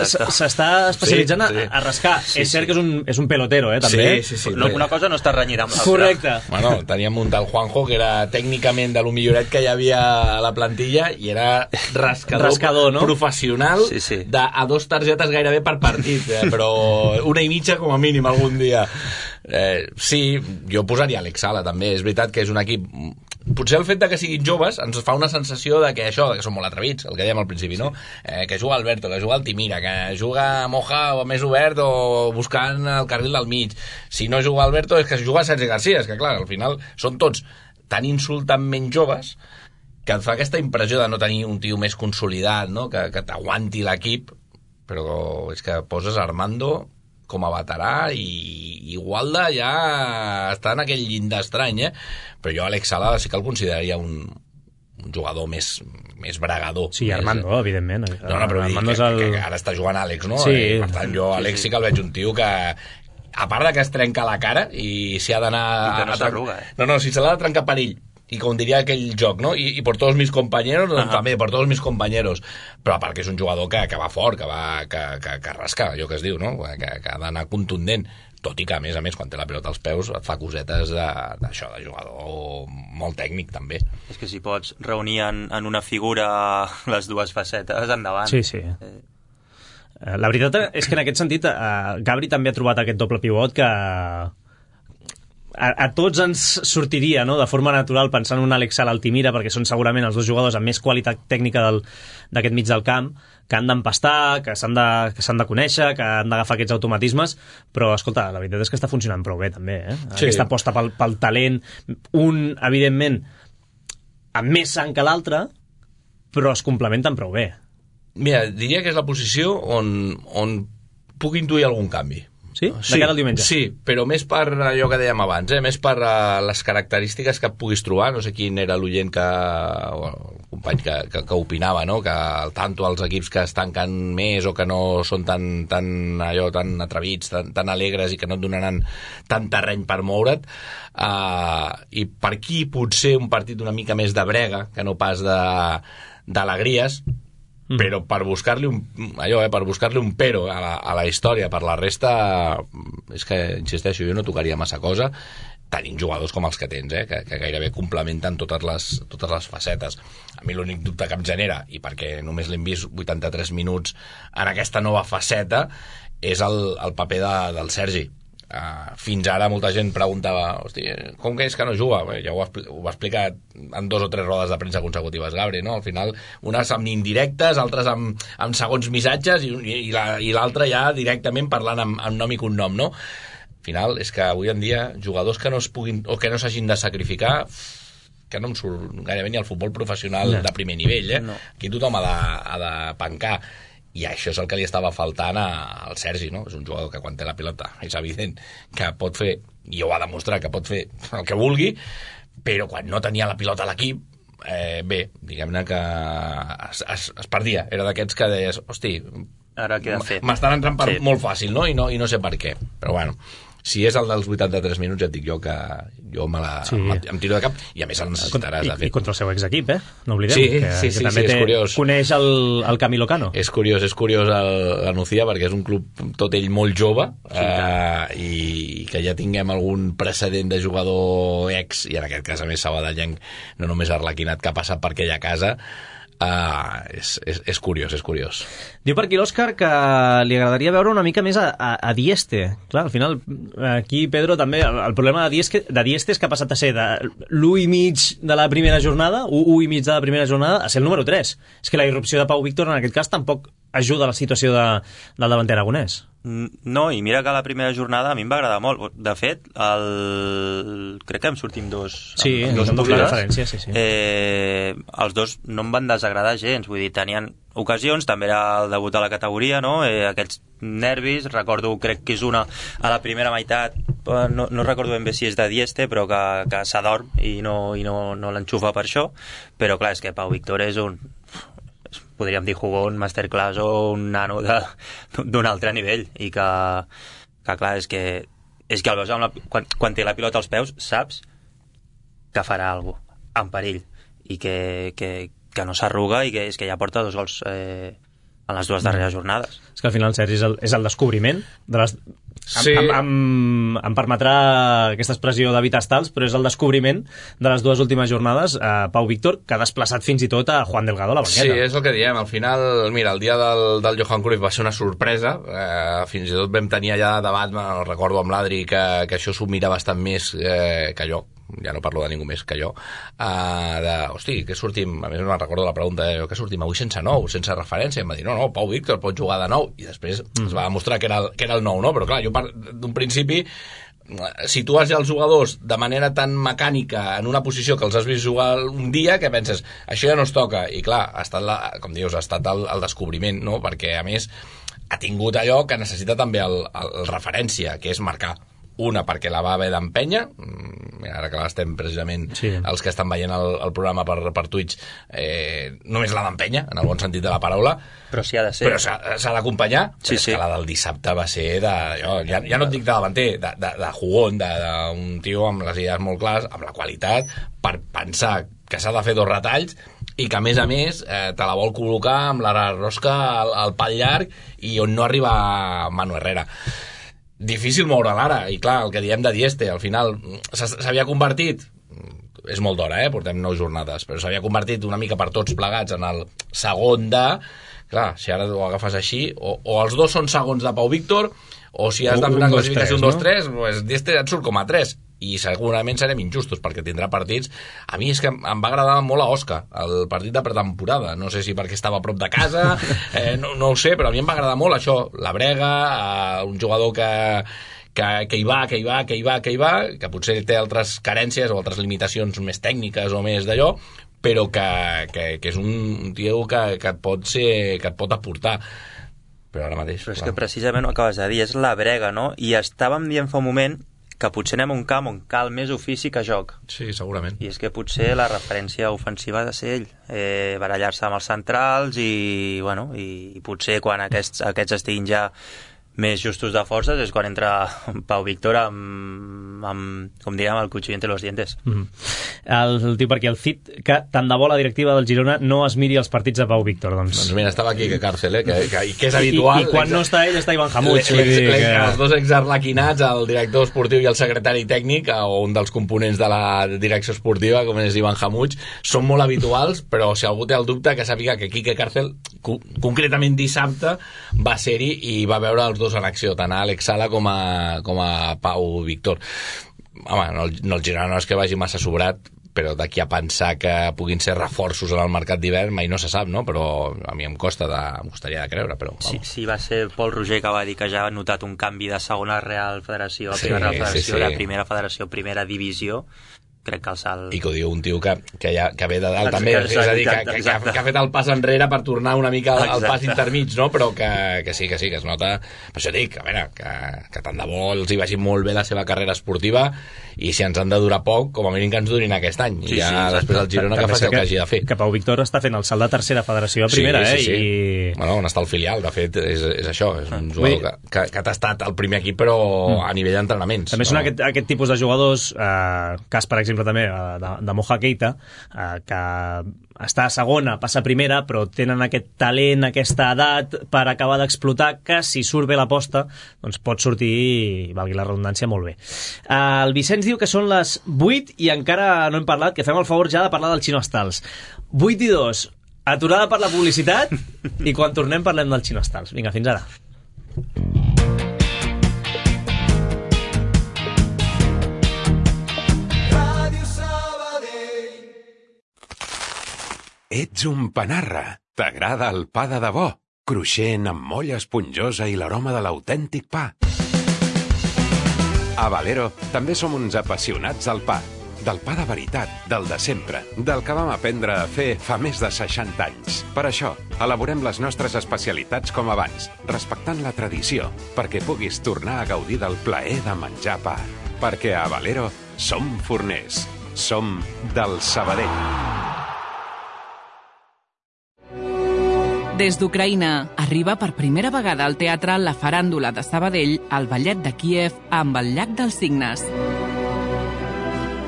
s'està especialitzant sí, sí. A, a rascar. Sí, és cert sí. que és un, és un pelotero, eh, també. Sí, sí, sí. No, una cosa no està renyida amb l'altra. Correcte. Bueno, teníem un tal Juanjo que era tècnicament de lo milloret que hi havia a la plantilla i era rascador, rascador no? professional sí, sí. De, a dos targetes gairebé per partit, eh, però una i mitja com a mínim algun dia. Eh, sí, jo posaria Àlex Sala també. És veritat que és un equip... Potser el fet de que siguin joves ens fa una sensació de que això, que són molt atrevits, el que dèiem al principi, no? Eh, que juga Alberto, que juga Altimira, que juga Moja o més obert o buscant el carril del mig. Si no juga Alberto és que juga Sergi Garcia, és que clar, al final són tots tan insultantment joves que et fa aquesta impressió de no tenir un tio més consolidat, no? Que, que t'aguanti l'equip, però és que poses Armando com a veterà i igual de ja està en aquell llindar estrany, eh? Però jo Àlex Sala sí que el consideraria un, un jugador més, més bregador. Sí, més... Armando, evidentment. No, no, però Armando que, és el... que, que ara està jugant Àlex, no? Sí. I, per tant, jo Àlex sí que el veig un tio que, a part de que es trenca la cara i s'hi ha d'anar... I que no s'arruga, eh? No, no, si se l'ha de trencar per ell, i com diria aquell joc, no? I, i por todos mis compañeros, doncs, uh-huh. també, por todos mis compañeros. Però a part que és un jugador que, que va fort, que va que, que, que rasca, allò que es diu, no? Que, que ha d'anar contundent. Tot i que, a més a més, quan té la pilota als peus, et fa cosetes d'això, de, de jugador molt tècnic, també. És que si pots reunir en, en una figura les dues facetes, endavant. Sí, sí. Eh... La veritat és que en aquest sentit eh, Gabri també ha trobat aquest doble pivot que a, a tots ens sortiria, no?, de forma natural pensant en un Àlex Sala Altimira, perquè són segurament els dos jugadors amb més qualitat tècnica d'aquest mig del camp, que han d'empastar, que s'han de, que s'han de conèixer, que han d'agafar aquests automatismes, però escolta, la veritat és que està funcionant prou bé també, eh? Sí. Aquesta aposta pel, pel talent, un evidentment amb més sang que l'altre, però es complementen prou bé. Mira, diria que és la posició on, on puc intuir algun canvi. Sí? De cara al diumenge? Sí, però més per allò que dèiem abans, eh? Més per uh, les característiques que puguis trobar. No sé quin era l'oient que... o el company que, que, que opinava, no? Que al tanto els equips que es tanquen més o que no són tan, tan, allò, tan atrevits, tan, tan alegres i que no et donaran tant terreny per moure't. Uh, I per aquí potser un partit una mica més de brega, que no pas de d'alegries, Mm. però per buscar-li un, allò, eh, per buscar-li un pero a la, a la història. Per la resta, és que, insisteixo, jo no tocaria massa cosa tenint jugadors com els que tens, eh, que, que gairebé complementen totes les, totes les facetes. A mi l'únic dubte que em genera, i perquè només l'hem vist vuitanta-tres minuts en aquesta nova faceta, és el, el paper de, del Sergi. Uh, fins ara molta gent preguntava, hosti, com que és que no juga? Bé, ja ho, ho va explicar en dos o tres rodes de premsa consecutives Gabri, no? Al final, unes amb indirectes, altres amb, amb segons missatges i, i, i l'altra ja directament parlant amb, amb nom i cognom, no? Al final, és que avui en dia jugadors que no es puguin o que no s'hagin de sacrificar, que no em surt gairebé ni al futbol professional no. de primer nivell, eh? No. Aquí tothom ha de, ha de pencar. I això és el que li estava faltant al Sergi, no? És un jugador que quan té la pilota és evident que pot fer, i ho ha demostrat, que pot fer el que vulgui, però quan no tenia la pilota a l'equip, eh, bé, diguem-ne que es, es, es perdia. Era d'aquests que deies, hosti, ara què he de fer? M'estan entrant per sí. molt fàcil, no? I, no? I no sé per què. Però bueno, si és el dels vuitanta-tres minuts, ja et dic jo que jo me la, sí. em, em tiro de cap, i a més el necessitaràs. I, i contra el seu exequip, eh? No oblidem, sí, que, sí, que sí, també sí, té, és curiós. Coneix el, el Camilo Cano. És curiós, és curiós el, la Nucía, perquè és un club tot ell molt jove, sí, eh, i, i que ja tinguem algun precedent de jugador ex, i en aquest cas a més sabadellenc, no només arlequinat, que ha passat per aquella casa. Uh, és, és, és curiós, és curiós. Diu per aquí l'Òscar que li agradaria veure una mica més a, a, a Dieste. Clar, al final, aquí, Pedro, també, el, el problema de Dieste, de Dieste és que ha passat a ser de l'u i mig de la primera jornada, u i mig de la primera jornada, a ser el número tres. És que la irrupció de Pau Víctor, en aquest cas, tampoc ajuda a la situació de, del davanter aragonès. No, i mira que la primera jornada a mi em va agradar molt. De fet, el... crec que em sortim dos... Sí, amb, dos doble referència, sí, sí. Eh, els dos no em van desagradar gens, vull dir, tenien ocasions, també era el debut a la categoria, no? Eh, aquests nervis, recordo, crec que és una a la primera meitat, no, no recordo ben bé si és de Dieste, però que, que s'adorm i no, i no, no l'enxufa per això, però clar, és que Pau Víctor és un... podríem dir jugón, masterclass o un nano d'un altre nivell, i que, que clar, és que és que el veus amb la, quan, quan té la pilota als peus saps que farà alguna cosa en perill, i que, que, que no s'arruga, i que és que ja porta dos gols eh, en les dues darreres jornades. És que al final Sergi és el, és el descobriment de les... Sí. Em, em, em, em permetrà aquesta expressió d'evitar estals, però és el descobriment de les dues últimes jornades a Pau Víctor, que ha desplaçat fins i tot a Juan Delgado a la banqueta. Sí, és el que diem. Al final, mira, el dia del, del Johan Cruyff va ser una sorpresa. Eh, fins i tot vam tenir allà debat, me'n recordo amb l'Adri, que, que això s'ho mira bastant més eh, que jo. Ja no parlo de ningú més que jo, uh, de, hosti, que sortim, a més me'n recordo la pregunta, eh, que sortim avui sense nou, sense referència, i em va dir, no, no, Pau Víctor pot jugar de nou, i després mm. es va demostrar que era, el, que era el nou, no? Però clar, jo d'un principi situes ja els jugadors de manera tan mecànica en una posició que els has vist jugar un dia que penses, això ja no es toca, i clar, ha estat la, com dius, ha estat el, el descobriment, no? Perquè a més ha tingut allò que necessita també el, el referència, que és marcar. una perquè la va haver d'empènyer, ara que l'estem precisament, sí. els que estan veient el, el programa per, per Twitch, eh, només l'ha d'empènyer, en el bon sentit de la paraula, però sí ha de ser, però s'ha d'acompanyar, sí, però sí. és que la del dissabte va ser de, jo, ja, ja no et dic de davanter, de, de, de jugón, d'un tio amb les idees molt clares, amb la qualitat, per pensar que s'ha de fer dos retalls i que a més a més eh, te la vol col·locar amb la rosca al, al pal llarg i on no arriba Manu Herrera. Difícil moure l'ara, i clar, el que diem de Dieste, al final s'havia convertit, és molt d'hora, eh? Portem nou jornades, però s'havia convertit una mica per tots plegats en el segon de... Clar, si ara ho agafes així, o, o els dos són segons de Pau Víctor, o si has de fer una classificació un dos tres, pues Dieste et surt com a tres, i segurament serem injustos, perquè tindrà partits... A mi és que em va agradar molt a Osca, el partit de pretemporada. No sé si perquè estava a prop de casa, eh, no, no ho sé, però a mi em va agradar molt això, la brega, eh, un jugador que, que, que hi va, que hi va, que hi va, que hi va, que potser té altres carències o altres limitacions més tècniques o més d'allò, però que, que, que és un tio que, que, et pot ser, que et pot aportar. Però ara mateix... Però és clar. Que precisament ho acabes de dir, és la brega, no? I estàvem dient fa un moment que potser anem a un camp on cal més ofici que joc. Sí, segurament. I és que potser la referència ofensiva ha de ser ell, eh, barallar-se amb els centrals i, bueno, i, i potser quan aquests, aquests estiguin ja més justos de forces és quan entra Pau Víctor amb, amb com diríem, el cuchillo entre los dientes. Mm-hmm. El, el tio perquè el C I T, que tant de bo la directiva del Girona no es miri els partits de Pau Víctor. Doncs, doncs mira, estava aquí que Càrcel, eh? que, que, que és habitual. I, i quan no està ell està Ivan Hamuch. Que... Els dos exarlequinats, el director esportiu i el secretari tècnic, o un dels components de la direcció esportiva, com és Ivan Hamuch, són molt habituals, però si algú té el dubte, que sàpiga que Quique Càrcel, concretament dissabte, va ser-hi i va veure els dos en acció, tant a Àlex Sala com a, com a Pau Víctor. Home, no, no el Girona no és que vagi massa sobrat, però d'aquí a pensar que puguin ser reforços en el mercat d'hivern mai no se sap, no? Però a mi em costa de, em costaria de creure, però... Sí, sí, va ser Pol Roger que va dir que ja ha notat un canvi de segona Real Federació a sí, primera Real Federació, sí, sí. de primera Federació, primera divisió. Crec que el salt... I que ho diu un tio que, que, ja, que ve de dalt també, exacte, és a dir, que, que, que, que ha fet el pas enrere per tornar una mica al, al pas intermig, no? Però que, que sí, que sí, que es nota... Per això dic, a veure, que, que tant de bo els hi vagi molt bé la seva carrera esportiva i si ens han de durar poc, com a mínim que ens durin aquest any. I sí, ja sí, després el Girona que faci el que hagi de fer. Que Pau Víctor està fent el salt de tercera federació a primera, sí, sí, eh? Sí. I... Bueno, on està el filial, de fet, és, és això, és un jugador que, que, que ha tastat al primer equip, però mm. a nivell d'entrenaments. També són no? aquest, aquest tipus de jugadors, eh, cas, per exemple, també, de, de Moja Keita, eh, que està a segona, passa a primera, però tenen aquest talent, aquesta edat per acabar d'explotar, que si surt bé l'aposta, doncs pot sortir, valgui la redundància, molt bé. Uh, el Vicenç diu que són les vuit i encara no hem parlat, que fem el favor ja de parlar del Xino Estals. vuit i dos, aturada per la publicitat, i quan tornem parlem del Xino Estals. Vinga, fins ara. Ets un panarra. T'agrada el pa de debò, cruixent amb molla esponjosa i l'aroma de l'autèntic pa. A Valero també som uns apassionats del pa, del pa de veritat, del de sempre, del que vam aprendre a fer fa més de seixanta anys. Per això, elaborem les nostres especialitats com abans, respectant la tradició, perquè puguis tornar a gaudir del plaer de menjar pa. Perquè a Valero som forners, som del Sabadell. Des d'Ucraïna, arriba per primera vegada al teatre La Faràndula de Sabadell, al Ballet de Kíev, amb el Llac dels Cignes.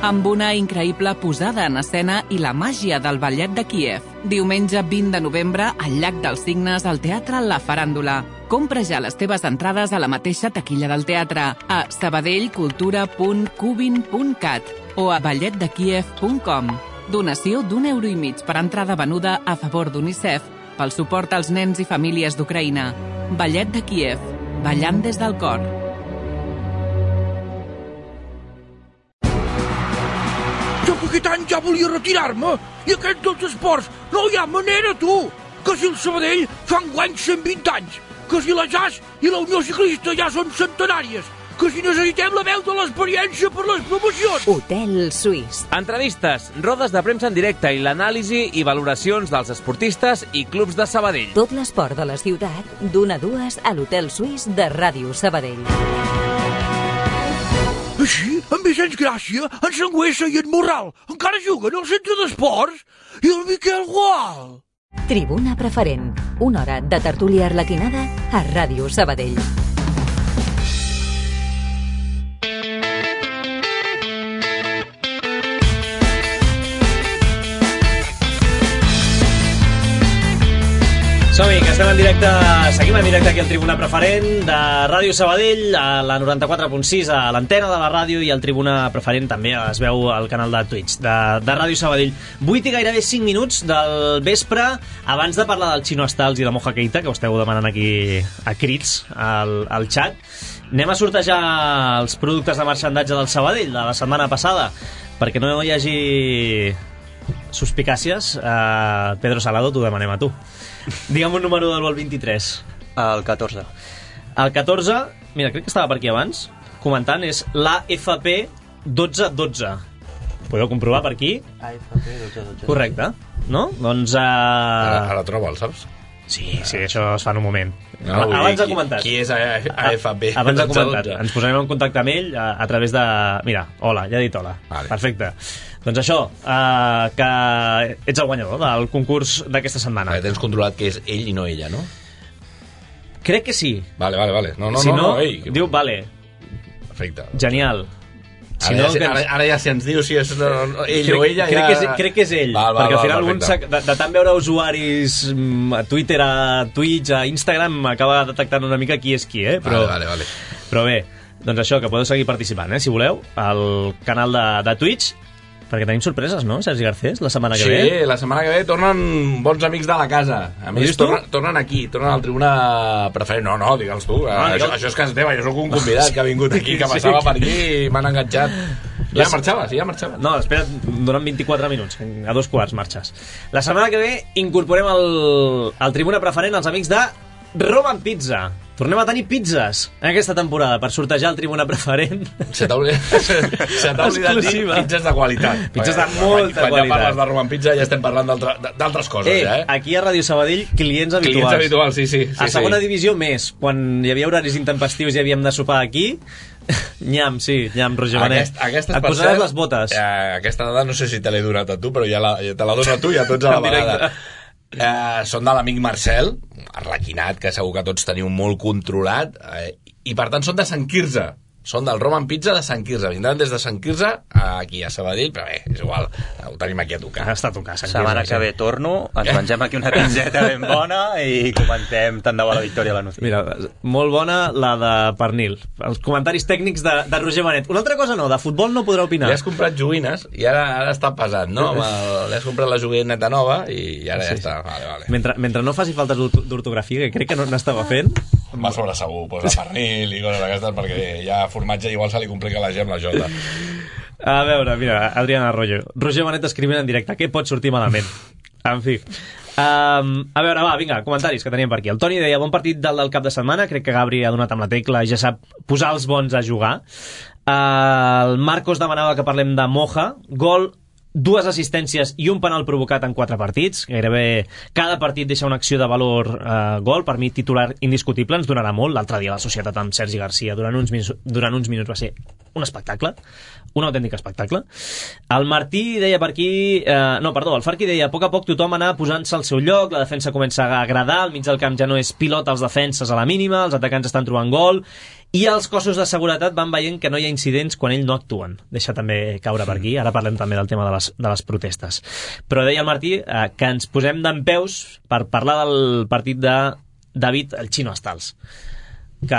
Amb una increïble posada en escena i la màgia del Ballet de Kíev. Diumenge vint de novembre, al Llac dels Cignes, al Teatre La Faràndula. Compra ja les teves entrades a la mateixa taquilla del teatre, a sabadellcultura punt cubin punt cat o a ballet de kíev punt com. Donació d'un euro i mig per entrada venuda a favor d'UNICEF pel suport als nens i famílies d'Ucraïna. Ballet de Kíev, ballant des del cor. Jo que aquest any ja volia retirar-me i aquests dos esports no hi ha manera, tu! Que si el Sabadell fa enguany cent vint anys, que si la J A S i la Unió Ciclista ja són centenàries, que si necessitem la veu de l'experiència per les promocions. Hotel Suís. Entrevistes, rodes de premsa en directe i l'anàlisi i valoracions dels esportistes i clubs de Sabadell. Tot l'esport de la ciutat, d'una a dues a l'Hotel Suís de Ràdio Sabadell. Així, en Vicenç Gràcia, en Sangüesa i en Morral encara juguen al centre d'esports i el Miquel Gual. Tribuna Preferent, una hora de tertúlia arlequinada a Ràdio Sabadell. Som-hi, que estem en directe, seguim en directe aquí al Tribuna Preferent de Ràdio Sabadell, a la noranta-quatre punt sis, a l'antena de la ràdio, i al Tribuna Preferent també es veu al canal de Twitch de, de Ràdio Sabadell. vuit i gairebé cinc minuts del vespre, abans de parlar del Chino Stals i la Moja Keita, que ho esteu demanant aquí a crits al, al xat. Anem a sortejar els productes de marxandatge del Sabadell de la setmana passada, perquè no hi hagi suspicàcies. uh, Pedro Salado, t'ho demanem a tu. Digue'm un número del vol vint-i-tres. El catorze. El catorze, mira, crec que estava per aquí abans comentant, és l'A F P dotze dotze. Podeu comprovar per aquí? A F P dotze dotze. Correcte, no? Doncs... Uh... Ara, ara trobo, el saps? Sí, sí, això es fa en un moment. No, Abans ha qui, comentat. Qui és A F P? Abans ha comentat. Ens posarem en contacte amb ell a, a través de... Mira, hola, ja he dit hola. Vale. Perfecte. Doncs això, uh, que ets el guanyador del concurs d'aquesta setmana. Vale, tens controlat que és ell i no ella, no? Crec que sí. Vale, vale, vale. No, no, si no, no, no ei. diu vale. Perfecte. Genial. Si Ara, no, ja, que ens... ara, ara ja si ens diu si és no, no, ell crec, o ella... crec, ja... que és, crec que és ell, val, val, perquè al val, final un perfecte. de, de tant veure usuaris mm, a Twitter, a Twitch, a Instagram, acaba detectant una mica qui és qui, eh? Però, Vale, vale, vale. però bé, doncs això, que podeu seguir participant, eh, si voleu, al canal de, de Twitch, perquè tenim sorpreses, no, Sergi Garcés, la setmana que Sí, ve? Sí, la setmana que ve tornen bons amics de la casa. A Ho més, dius tu? tornen, tornen aquí, tornen al Tribuna Preferent. No, no, digue'ls tu. Ah, això, digue'l. això és casa teva, jo sóc un convidat que ha vingut aquí, que passava per aquí i m'han enganxat. Ja marxava, sí, ja marxava. No, espera't, donen vint-i-quatre minuts, a dos quarts marxes. La setmana que ve incorporem al, al Tribuna Preferent els amics de Roman Pizza. Tornem a tenir pizzas en aquesta temporada per sortejar el Tribuna Preferent. Se t'ha oblidat, se t'ha oblidat dir Exclusiva. pizzas de qualitat. Pizzas de Quan- molta quan, qualitat. Quan ja parles de Roman Pizza ja estem parlant d'altra- d'altres coses, Eh, ja, eh? aquí a Ràdio Sabadell, clients habituals. Clients habituals, sí, sí. sí A segona sí. divisió més, quan hi havia horaris intempestius i havíem de sopar aquí. Nyam, sí, nyam, Roger Benet. Aquest, aquestes, Et per posaràs cert, les botes. Eh, aquesta dada no sé si te l'he donat a tu, però ja, la, ja te la dono a tu i a tots a la En directe. vegada. Eh, són de l'amic Marcel, arlequinat, que segur que tots teniu molt controlat, eh, i per tant són de Sant Quirze. Són del Roman Pizza de Sant Quirze. Vindran des de Sant Quirze aquí a Sabadell, però bé, és igual, ho tenim aquí a tocar. Està a tocar, Sant Setmana Quirze, que ve torno, ens mengem aquí una pizzeta ben bona i comentem tant de bo la victòria a la Nucía. Mira, molt bona la de pernil. Els comentaris tècnics de, de Roger Benet. Una altra cosa no, de futbol no podrà opinar. Li has comprat joguines i ara, ara està pesat, no? Amb el- Li has comprat la joguineta nova i ara ja Sí, està. Vale, vale. Mentre, mentre no faci faltes d'ort- d'ortografia, que crec que no n'estava fent, Va sobre segur, posa pernil i coses d'aquestes, perquè ja formatge igual se li complica la G amb la J. a veure, mira, Adriana Arroyo. Roger Benet escrivint en directe. Què pot sortir malament? En fi. Um, a veure, va, vinga, comentaris que teníem per aquí. El Toni deia, bon partit del, del cap de setmana. Crec que Gabri ha donat amb la tecla i ja sap posar els bons a jugar. Uh, el Marcos demanava que parlem de Moja. Gol, dues assistències i un penal provocat en quatre partits. Gairebé cada partit deixa una acció de valor eh, gol. Per mi, titular indiscutible, ens donarà molt. L'altre dia la societat amb Sergi Garcia durant uns, minuts, durant uns minuts va ser un espectacle, un autèntic espectacle. El Martí deia per aquí... Eh, no, perdó, el Farqui deia, a poc a poc tothom anava posant-se al seu lloc, la defensa comença a agradar, al mig del camp ja no és pilot als defenses a la mínima, els atacants estan trobant gol, i els cossos de seguretat van veient que no hi ha incidents quan ells no actuen. Deixa també caure per aquí, ara parlem també del tema de les, de les protestes. Però deia el Martí eh, que ens posem dempeus per parlar del partit de David el Chino Stals. Que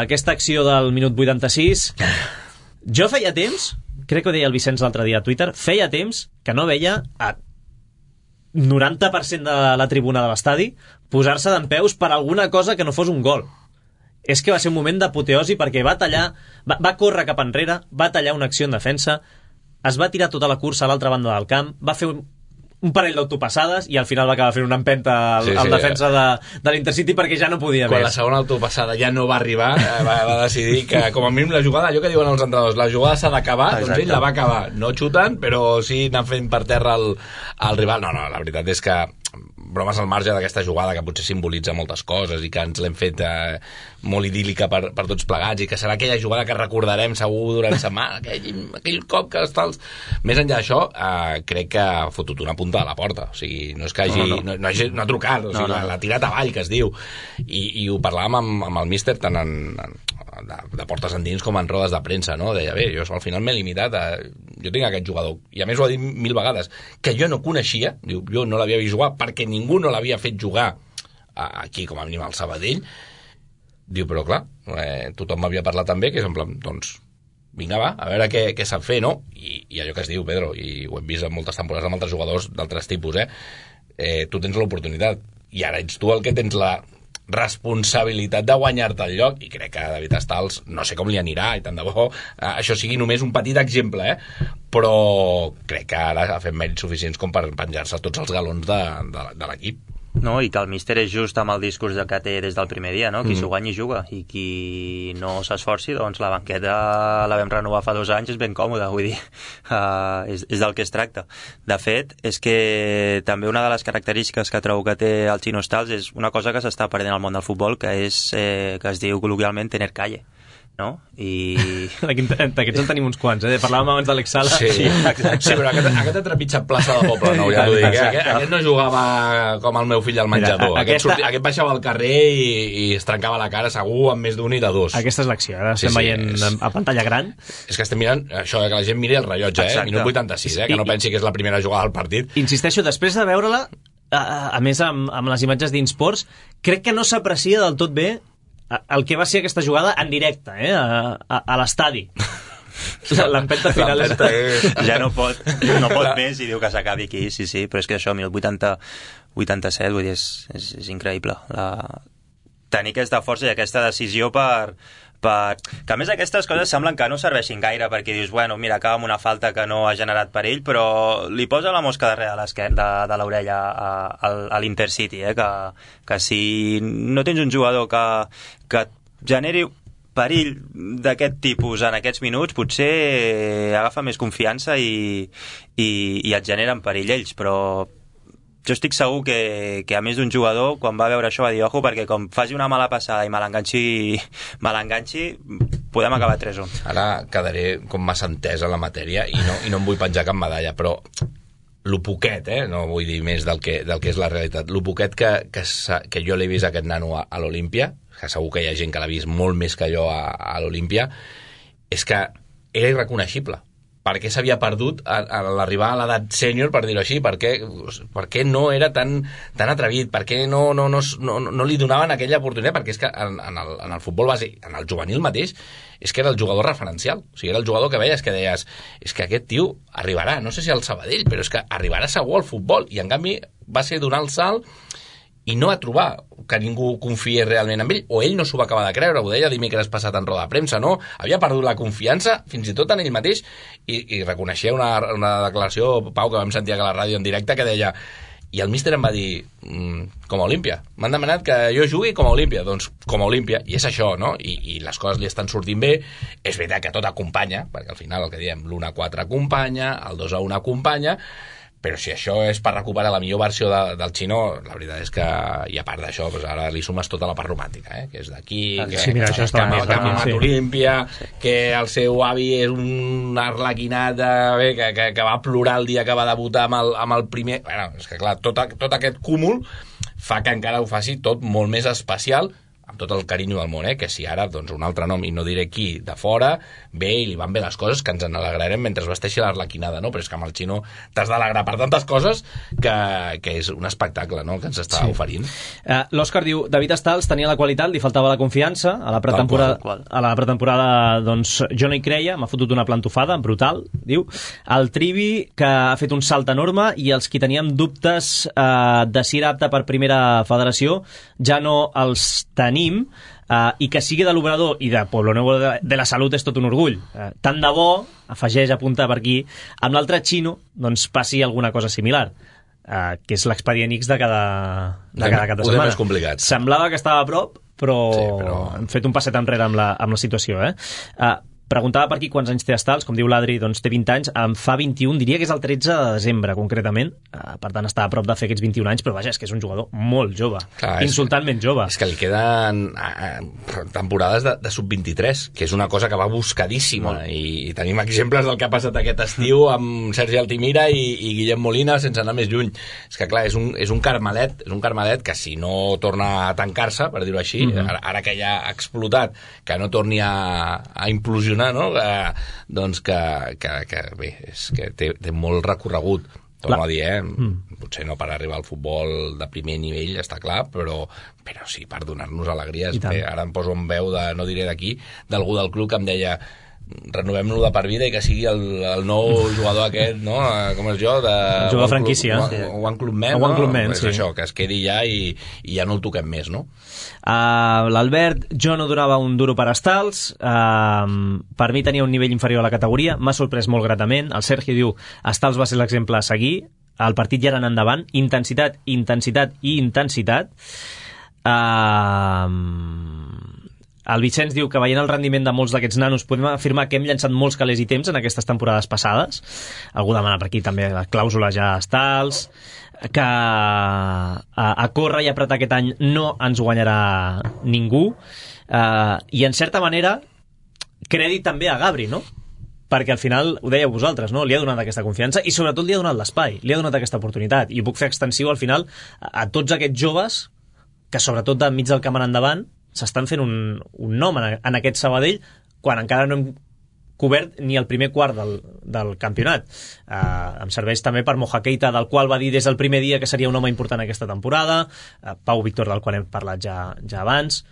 aquesta acció del minut vuitanta-sis... Jo feia temps, crec que ho deia el Vicenç l'altre dia a Twitter, feia temps que no veia a noranta per cent de la tribuna de l'estadi posar-se dempeus per alguna cosa que no fos un gol. És que va ser un moment d'apoteosi perquè va tallar, va, va córrer cap enrere, va tallar una acció en defensa, es va tirar tota la cursa a l'altra banda del camp, va fer un, un parell d'autopassades i al final va acabar fent una empenta al, Sí, sí, al defensa de, de l'Intercity perquè ja no podia Quan més. la segona autopassada ja no va arribar, eh, va, va decidir que, com a mínim, la jugada, allò que diuen els entrenadors, la jugada s'ha d'acabar, doncs ell la va acabar. No xutant, però sí anant fent per terra el, el rival. No, no, la veritat és que bromes al marge d'aquesta jugada que potser simbolitza moltes coses i que ens l'hem fet eh, molt idíl·lica per, per tots plegats i que serà aquella jugada que recordarem segur durant setmana, aquell, aquell cop que els tals... Més enllà d'això, eh, crec que ha fotut una punta a la porta. O sigui, no és que hagi... No, no, no. No, no, no ha trucat, o sigui, no, no. L'ha tirat avall, que es diu. I, i ho parlàvem amb, amb el míster tant en, en, de, de portes endins com en rodes de premsa, no? Deia, bé, jo al final m'he limitat a... Jo tinc aquest jugador, i a més ho ha dit mil vegades, que jo no coneixia, diu, jo no l'havia vist jugar perquè ningú no l'havia fet jugar aquí, com a mínim al Sabadell. Diu, però clar, eh, tothom m'havia parlat també, que és en plan, doncs, vinga, va, a veure què, què sap fer, no? I, I allò que es diu, Pedro, i ho hem vist en moltes temporades amb altres jugadors d'altres tipus, eh? eh? Tu tens l'oportunitat, i ara ets tu el que tens la responsabilitat de guanyar-te el lloc, i crec que David Stals no sé com li anirà, i tant de bo eh, això sigui només un petit exemple, eh? Però crec que ara ha fet mèrits suficients com per penjar-se tots els galons de, de, de l'equip. No, i que el míster és just amb el discurs que té des del primer dia, no? Qui mm. s'ho guanyi juga, i qui no s'esforci, doncs la banqueta la vam renovar fa dos anys, és ben còmoda, vull dir, uh, és, és del que es tracta. De fet, és que també una de les característiques que trobo que té el Chino Stals és una cosa que s'està perdent al món del futbol, que és eh, que es diu col·loquialment tener calle, no? I... D'aquests en tenim uns quants, eh? Parlàvem abans de l'Exala. Sí, sí, però aquest, aquest ha trepitjat plaça de Poble Nou, ja t'ho dic, eh? Aquest, aquest no jugava com el meu fill al menjador. Mira, aquest, aquesta... sortia, aquest baixava al carrer i, i es trencava la cara segur amb més d'un i de dos. Aquesta és l'acció, ara estem sí, sí, veient és... a pantalla gran. És que estem mirant això, que la gent miri el rellotge, eh? Minut vuitanta-sis, eh? Que no pensi que és la primera jugada del partit. Insisteixo, després de veure-la, a, a més amb, amb les imatges d'Insports, crec que no s'aprecia del tot bé el que va ser aquesta jugada en directe, eh? a, a, a l'estadi. L'empenta final és... Ja no pot, no pot més i diu que s'acabi aquí, sí, sí, però és que això, minut vuitanta, vuitanta-set, vull dir, és, és, és increïble. La... Tenir aquesta força i aquesta decisió per... per... que a més aquestes coses semblen que no serveixin gaire, perquè dius, bueno, mira, acaba amb una falta que no ha generat perill, però li posa la mosca darrere de, de, de l'orella a, a, a l'Intercity, eh? que, que si no tens un jugador que, que generi perill d'aquest tipus en aquests minuts, potser agafa més confiança i, i, i et generen perill ells, però jo estic segur que, que a més d'un jugador, quan va veure això va dir, ojo, perquè com faci una mala passada i me l'enganxi, me l'enganxi, podem acabar tres a un. Ara quedaré com massa entès en la matèria i no, i no em vull penjar cap medalla, però lo poquet, eh? No vull dir més del que, del que és la realitat, lo poquet que, que, que jo l'he vist aquest nano a, a l'Olímpia, que segur que hi ha gent que l'ha vist molt més que jo a, a l'Olímpia, és que era irreconeixible. Per què s'havia perdut a, a l'arribar a l'edat sènior, per dir-ho així? Per què, per què no era tan, tan atrevit? Per què no, no, no, no, no li donaven aquella oportunitat? Perquè és que en, en, el, en el futbol base, en el juvenil mateix, és que era el jugador referencial. O sigui, era el jugador que veies que deies, és que aquest tio arribarà, no sé si al Sabadell, però és que arribarà segur al futbol. I en canvi va ser donar el salt i no va trobar que ningú confiés realment en ell, o ell no s'ho va acabar de creure, ho deia dimecres passat en roda de premsa, no? Havia perdut la confiança, fins i tot en ell mateix, i, i reconeixia una, una declaració, Pau, que vam sentir a la ràdio en directe, que deia, i el míster em va dir, mm, com a Olímpia, m'han demanat que jo jugui com a Olímpia, doncs com a Olímpia, i és això, no? I, i les coses li estan sortint bé, és veritat que tot acompanya, perquè al final el que diem, l'u a quatre acompanya, el dos a un acompanya, però si això és per recuperar la millor versió de, del Xino, la veritat és que, i a part d'això, doncs ara li sumes tota la part romàntica, eh? Que és d'aquí, que, sí, mira, que, que, que ha mamat Olímpia, que el seu avi és un arlequinat eh, que, que, que va plorar el dia que va debutar amb el, amb el primer... Bueno, és que clar, tot, tot aquest cúmul fa que encara ho faci tot molt més especial, amb tot el carinyo del món, eh? Que si ara, doncs, un altre nom, i no diré qui, de fora, ve i li van bé les coses, que ens en alegrarem mentre es vesteixi l'arlequinada, no? Però és que amb el Xino t'has d'alegrar per tantes coses que, que és un espectacle, no?, que ens està sí. oferint. Uh, L'Òscar diu, David Stals tenia la qualitat, li faltava la confiança, a la pretemporada, qual, qual. A la pretemporada doncs, jo no hi creia, m'ha fotut una plantofada, brutal, diu. El Trivi, que ha fet un salt enorme, i els qui teníem dubtes uh, de si era apte per primera federació, ja no els tenim. Uh, i que sigui de l'Obrador i de Pueblo Nuevo de, de la Salut és tot un orgull. Uh, tant de bo, afegeix a apuntar per aquí, amb l'altre Xino doncs passi alguna cosa similar, uh, que és l'expedient X de cada, de cada cap de setmana. Més complicat. Semblava que estava a prop, però, sí, però... hem fet un passet enrere amb la, amb la situació. Eh? Uh, Preguntava per aquí quants anys té Stals, com diu l'Adri, doncs té vint anys, em fa vint-i-un, diria que és el tretze de desembre, concretament, uh, per tant està a prop de fer aquests vint-i-un anys, però vaja, és que és un jugador molt jove, clar, insultantment jove. És que li queden uh, temporades de, de sub vint-i-tres, que és una cosa que va buscadíssima, i, i tenim exemples del que ha passat aquest estiu amb Sergi Altimira i, i Guillem Molina sense anar més lluny. És que clar, és un, és un carmelet, és un carmelet que si no torna a tancar-se, per dir-ho així, mm-hmm. ara, ara que ja ha explotat, que no torni a, a implosionar, no? Que, doncs que, que, que bé, és que té, té molt recorregut, torno a dir, eh? Mm. Potser no per arribar al futbol de primer nivell, està clar, però, però sí, per donar-nos alegries. Bé, ara em poso en veu, de, no diré d'aquí, d'algú del club que em deia renovem-lo de per vida i que sigui el, el nou jugador aquest, no? Com és jo? De el jugador franquícia. One Club Men, no? One Club Men, és sí. Això, que es quedi ja i, i ja no el toquem més, no? Uh, L'Albert, jo no donava un duro per Stals, uh, per mi tenia un nivell inferior a la categoria, m'ha sorprès molt gratament. El Sergi diu, Stals va ser l'exemple a seguir, el partit ja era endavant, intensitat, intensitat i intensitat. Uh, el Vicenç diu que veient el rendiment de molts d'aquests nanos podem afirmar que hem llançat molts calés i temps en aquestes temporades passades. Algú demana per aquí també la clàusula ja a Stals, que a, a córrer i apretar aquest any no ens guanyarà ningú, uh, i en certa manera crèdit també a Gabri, no? Perquè al final, ho dèieu vosaltres, no? Li ha donat aquesta confiança i sobretot li ha donat l'espai, li ha donat aquesta oportunitat, i puc fer extensiu al final a, a tots aquests joves que sobretot de mig del camp en endavant s'estan fent un, un nom en, en aquest Sabadell quan encara no hem cobert ni el primer quart del, del campionat. Uh, em serveix també per Moja Keita, del qual va dir des del primer dia que seria un home important aquesta temporada, uh, Pau Víctor, del qual hem parlat ja, ja abans.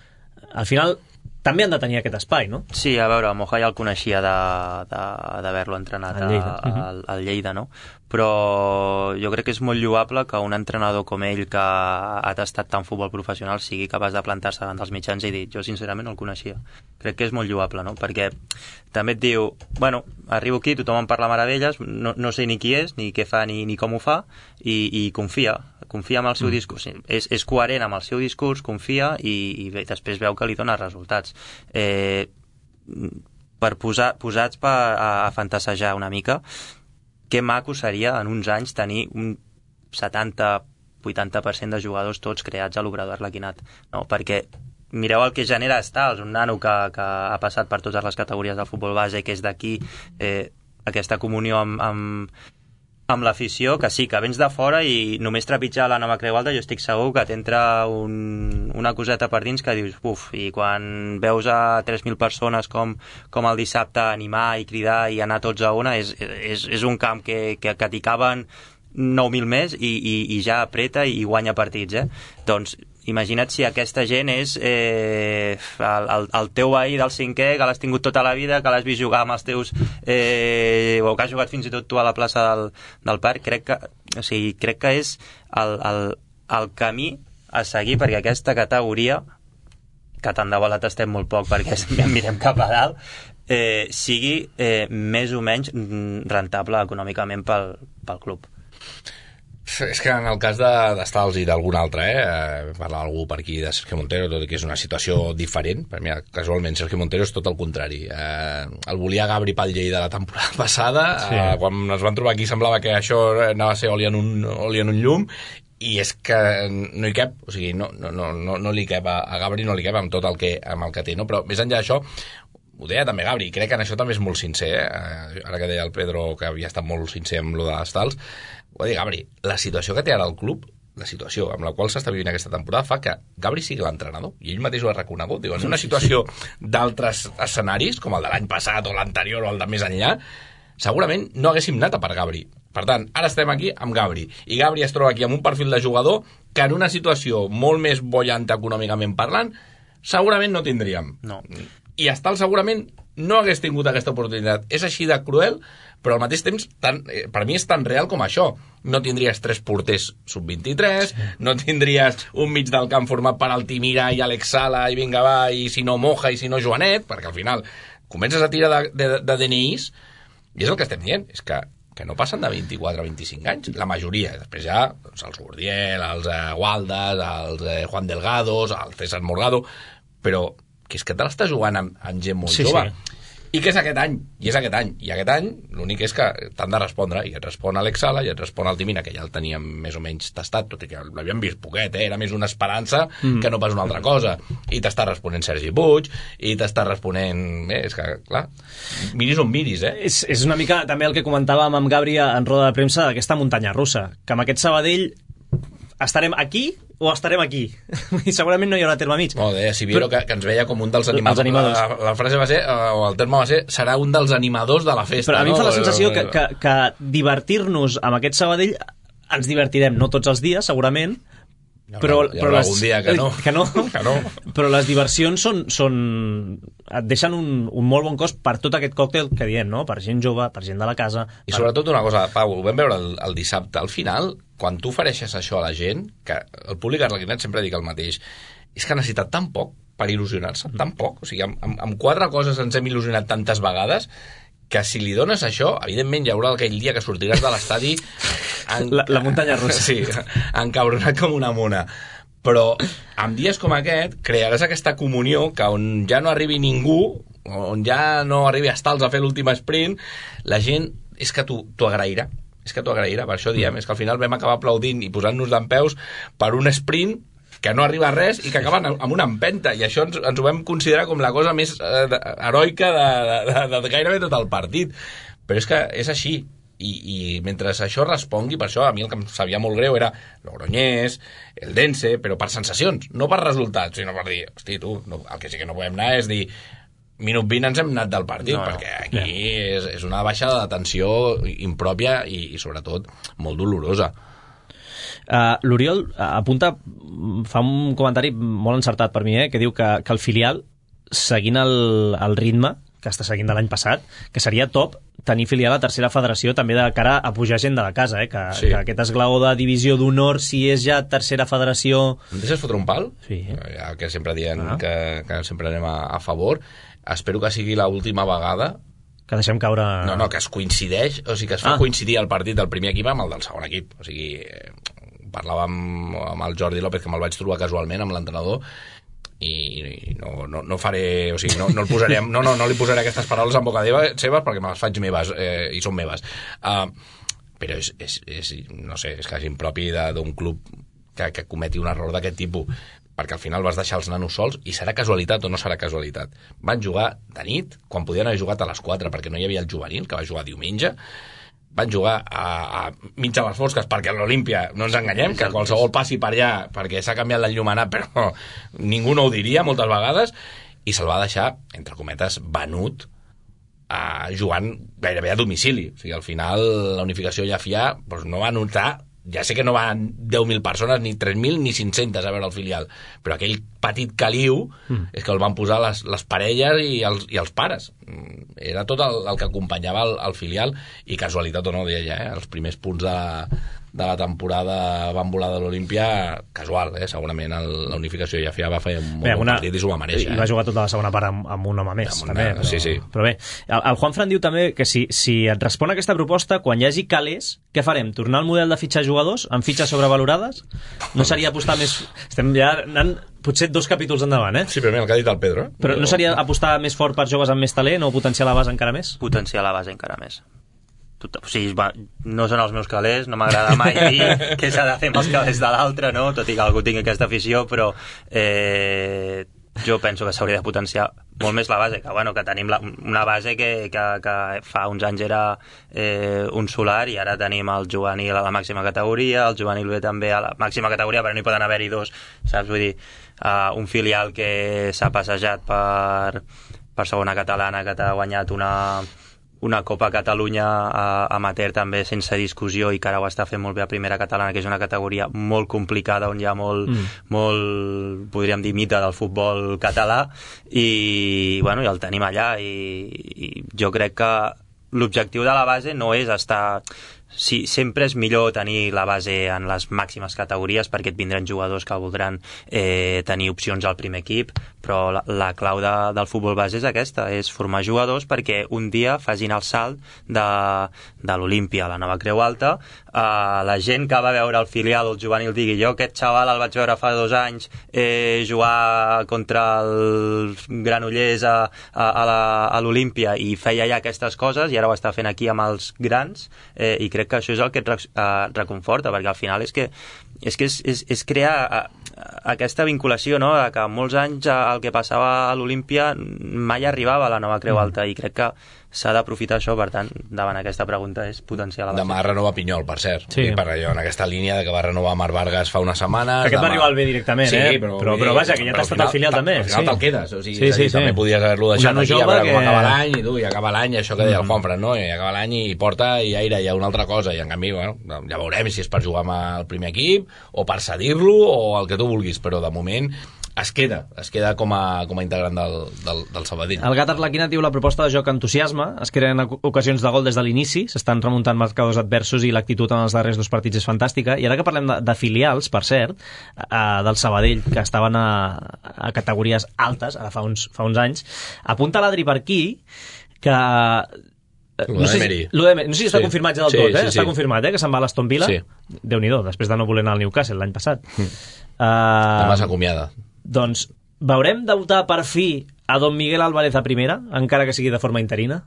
Al final també han de tenir aquest espai, no? Sí, a veure, Moja ja el coneixia d'haver-lo entrenat al Lleida. A, a, al Lleida, no? Però jo crec que és molt lloable que un entrenador com ell, que ha tastat tant futbol professional, sigui capaç de plantar-se davant dels mitjans i dir, jo sincerament no el coneixia. Crec que és molt lloable, no? Perquè també et diu, bueno, arribo aquí, tothom em parla meravelles, no, no sé ni qui és, ni què fa, ni, ni com ho fa, i, i confia, confia en el seu mm. discurs. És, és coherent amb el seu discurs, confia, i, i bé, després veu que li dona resultats. Eh, per posar, posats per, a, a fantasejar una mica, que maco seria en uns anys tenir un setanta vuitanta per cent de jugadors tots creats a l'Obrador Arlequinat, no? Perquè mireu el que genera Stals, un nano que, que ha passat per totes les categories del futbol base, que és d'aquí, eh, aquesta comunió amb, amb, amb l'afició, que sí, que vens de fora i només trepitjar la nova Creu Alta jo estic segur que t'entra un, una coseta per dins que dius, uf, i quan veus a tres mil persones com, com el dissabte animar i cridar i anar tots a una, és, és, és un camp que, que, que t'hi caben nou mil més i, i, i ja apreta i guanya partits, eh? Doncs imagina't si aquesta gent és eh, el, el, el teu veí del cinquè, que l'has tingut tota la vida, que l'has vist jugar amb els teus eh, o que has jugat fins i tot tu a la plaça del, del parc. Crec que, o sigui, crec que és el, el, el camí a seguir perquè aquesta categoria, que tant de bo la tastem molt poc perquè mirem cap a dalt, eh, sigui eh, més o menys rentable econòmicament pel, pel club. És que en el cas de, d'Stals i d'algun altre, eh, parla algú per aquí de Sergio Montero, tot i que és una situació diferent, per mi casualment Sergio Montero és tot el contrari. Eh, el volia Gabri pel Lleida la temporada passada, sí. eh, quan ens van trobar aquí semblava que això anava a ser oli en un, oli en un llum, i és que no hi cap, o sigui, no, no, no, no li cap a, a Gabri, no li cap amb tot el que, amb el que té, no? Però més enllà d'això, ho deia també Gabri, crec que en això també és molt sincer, eh? Ara que deia el Pedro que havia estat molt sincer amb lo de Stals, ho deia Gabri, la situació que té ara el club, la situació amb la qual s'està vivint aquesta temporada fa que Gabri sigui l'entrenador, i ell mateix ho ha reconegut. Diu, en una situació d'altres escenaris, com el de l'any passat o l'anterior o el de més enllà, segurament no haguéssim anat a per Gabri. Per tant, ara estem aquí amb Gabri, i Gabri es troba aquí amb un perfil de jugador que en una situació molt més bollanta econòmicament parlant, segurament no tindríem. No. I Stals segurament no hagués tingut aquesta oportunitat. És així de cruel, però al mateix temps tan, eh, per mi és tan real com això. No tindries tres porters sub vint-i-tres, sí. No tindries un mig del camp format per Altimira i Alex Sala i vinga va, i si no Moja i si no Joanet, perquè al final comences a tirar de, de, de D N Is, i és el que estem dient, és que que no passen de vint-i-quatre a vint-i-cinc anys, la majoria. Després ja doncs, els Gordiel, els eh, Gualdes, els eh, Juan Delgados, el César Morgado, però que és que te l'estàs jugant amb, amb gent molt sí, jove. Sí. I que és aquest any, i és aquest any. I aquest any l'únic és que t'han de respondre, i et respon Alex Sala, i et respon Altimina, que ja el teníem més o menys tastat, tot i que l'havíem vist poquet, eh? Era més una esperança mm. que no pas una altra cosa. I t'està responent Sergi Puig, i t'està responent... Eh, és que, clar, miris on miris, eh? És, és una mica també el que comentàvem amb Gabri en roda de premsa d'aquesta muntanya russa, que amb aquest Sabadell estarem aquí o estarem aquí. I segurament no hi haurà terme mig. Molt bé, si Viero, que, que ens veia com un dels animadors. Els animadors. La, la frase va ser, o el terme va ser, serà un dels animadors de la festa. Però a mi no? em fa la sensació que, que, que divertir-nos amb aquest Sabadell ens divertirem, no tots els dies, segurament, però, hi haurà però les, algun dia que no. que no, que no. Però les diversions són, són et deixen un, un molt bon cost per tot aquest còctel que diem, no? Per gent jove, per gent de la casa. I per... sobretot una cosa, Pau, ho vam veure el, el dissabte, al final, quan tu ofereixes això a la gent, que el públic arlequinat sempre dic el mateix, és que ha necessitat tan poc per il·lusionar-se, tan poc. O sigui, amb, amb, amb quatre coses ens hem il·lusionat tantes vegades que si li dones això, evidentment hi haurà aquell dia que sortiràs de l'estadi en... la, la muntanya russa. Sí, encabronat com una mona. Però en dies com aquest crearàs aquesta comunió que on ja no arribi ningú, on ja no arribi a estals a fer l'últim sprint, la gent és que t'ho agrairà. És que t'ho agrairà, per això diem, és que al final vam acabar aplaudint i posant-nos dempeus per un sprint que no arriba a res i que acaben amb una empenta, i això ens, ens ho vam considerar com la cosa més eh, heroica de, de, de, de gairebé tot el partit. Però és que és així, i, i mentre això respongui, per això a mi el que em sabia molt greu era Logroñés, el Dense, però per sensacions, no per resultats, sinó per dir, hosti, tu, no, el que sí que no podem anar és dir minut vint ens hem anat del partit, no, perquè aquí no. és, és una baixada de tensió impròpia i, i sobretot molt dolorosa. Uh, L'Oriol uh, apunta, fa un comentari molt encertat per mi, eh, que diu que, que el filial, seguint el, el ritme que està seguint de l'any passat, que seria top tenir filial a tercera federació també de cara a pujar gent de la casa, eh? que, sí. que aquest esglaó de divisió d'honor, si és ja tercera federació... Em deixes fotre un pal? Sí. Ja que sempre diem ah. que, que sempre anem a, a favor. Espero que sigui l'última vegada que deixem caure... No, no, que es coincideix, o sigui, que es fa ah. coincidir el partit del primer equip amb el del segon equip. O sigui, parlàvem amb el Jordi López, que me'l vaig trobar casualment amb l'entrenador, i no, no, no faré, o sigui, no, no, el posaré, no, no, no li posaré aquestes paraules en boca seves perquè me les faig meves, eh, i són meves. Uh, però és, és, és, no sé, és quasi impropi d'un club que, que cometi un error d'aquest tipus, perquè al final vas deixar els nanos sols, i serà casualitat o no serà casualitat. Van jugar de nit, quan podien haver jugat a les quatre, perquè no hi havia el juvenil, que va jugar diumenge, van jugar a, a mig a les fosques, perquè a l'Olímpia, no ens enganyem, que qualsevol passi per allà, perquè s'ha canviat l'enllumenat, però ningú no ho diria moltes vegades, i se'l va deixar, entre cometes, venut, a, jugant gairebé a domicili. O sigui, al final, la unificació Llafià doncs, no va notar, ja sé que no van deu mil persones, ni tres mil, ni cinc-centes a veure el filial, però aquell petit caliu mm. és que el van posar les, les parelles i els, i els pares. Era tot el, el que acompanyava el, el filial, i casualitat o no, deia ja, eh? Els primers punts de, de la temporada van volar de l'Olímpia, casual, eh? Segurament el, la unificació ja va fer un bé, bon una, partit i s'ho va mereixer. I va jugar tota la segona part amb, amb un home més. Una, també, però, sí, sí. Però bé, el, el Juan Fran diu també que si, si et respon aquesta proposta, quan hi hagi calés, què farem? Tornar al model de fitxar jugadors amb fitxes sobrevalorades? No seria apostar més... Estem ja anant potser dos capítols endavant, eh? Sí, però mira, el que ha dit el Pedro. Eh? Però no seria apostar més fort per joves amb més talent o potenciar la base encara més? Potenciar la base encara més. Tot, o sigui, va, no són els meus calés, no m'agrada mai dir què s'ha de fer amb els calés de l'altre, no? Tot i que algú tingui aquesta afició, però eh, jo penso que s'hauria de potenciar molt més la base, que, bueno, que tenim la, una base que, que, que fa uns anys era eh, un solar, i ara tenim el juvenil a la màxima categoria, el juvenil B també a la màxima categoria, però no hi poden haver-hi dos, saps? Vull dir, uh, un filial que s'ha passejat per, per segona catalana, que t'ha guanyat una... una Copa Catalunya uh, amateur també sense discussió, i que ara ho està fent molt bé a primera catalana, que és una categoria molt complicada, on hi ha molt, mm. molt podríem dir, mite del futbol català, i, bueno, i el tenim allà, i, i jo crec que l'objectiu de la base no és estar Sí, sempre és millor tenir la base en les màximes categories perquè et vindran jugadors que voldran eh, tenir opcions al primer equip, però la, la clau de, del futbol base és aquesta, és formar jugadors perquè un dia facin el salt de, de l'Olímpia a la nova Creu Alta. Uh, la gent que va veure el filial o el juvenil digui jo aquest xaval el vaig veure fa dos anys eh, jugar contra el Granollers a, a, a l'Olímpia i feia ja aquestes coses i ara ho està fent aquí amb els grans eh, i crec que això és el que et uh, reconforta, perquè al final és que és, que és, és, és crear uh, aquesta vinculació, no?, que molts anys uh, el que passava a l'Olímpia mai arribava a la nova Creu Alta i crec que s'ha d'aprofitar això, per tant, davant aquesta pregunta és potenciar la base. Demà renova Pinyol, per cert. Sí. I per allò, en aquesta línia de que va renovar Marc Vargas fa unes setmanes... Aquest demà... va arribar al B directament, sí, eh? Però, però, però vaja, que ja t'ha estat al filial també. Al final sí. te'l quedes. O sigui, sí, sí, dir, sí. també podies haver-lo deixat aquí a veure que... com acaba l'any i tu, i acaba l'any, això que deia mm. el Juanfran, no? I acaba l'any i porta i aire ja una altra cosa. I en canvi, bueno, ja veurem si és per jugar amb el primer equip o per cedir-lo o el que tu vulguis, però de moment es queda, es queda com a, com a integrant del, del, del Sabadell. El Gat Arlequinat diu la proposta de joc entusiasme, es creen ocasions de gol des de l'inici, s'estan remuntant marcadors adversos i l'actitud en els darrers dos partits és fantàstica. I ara que parlem de, de filials, per cert, eh, del Sabadell, que estaven a, a categories altes, ara fa uns, fa uns anys, apunta l'Adri per aquí que... No sé, si, no sé si està sí. confirmat ja del sí, tot, eh? Sí, sí. Està confirmat, eh? Que se'n va a l'Aston Villa. Sí. Déu-n'hi-do, després de no voler anar al Newcastle l'any passat. Mm. Uh, Demà s'acomiada. Doncs veurem debutar per fi a Don Miguel Álvarez a primera, encara que sigui de forma interina?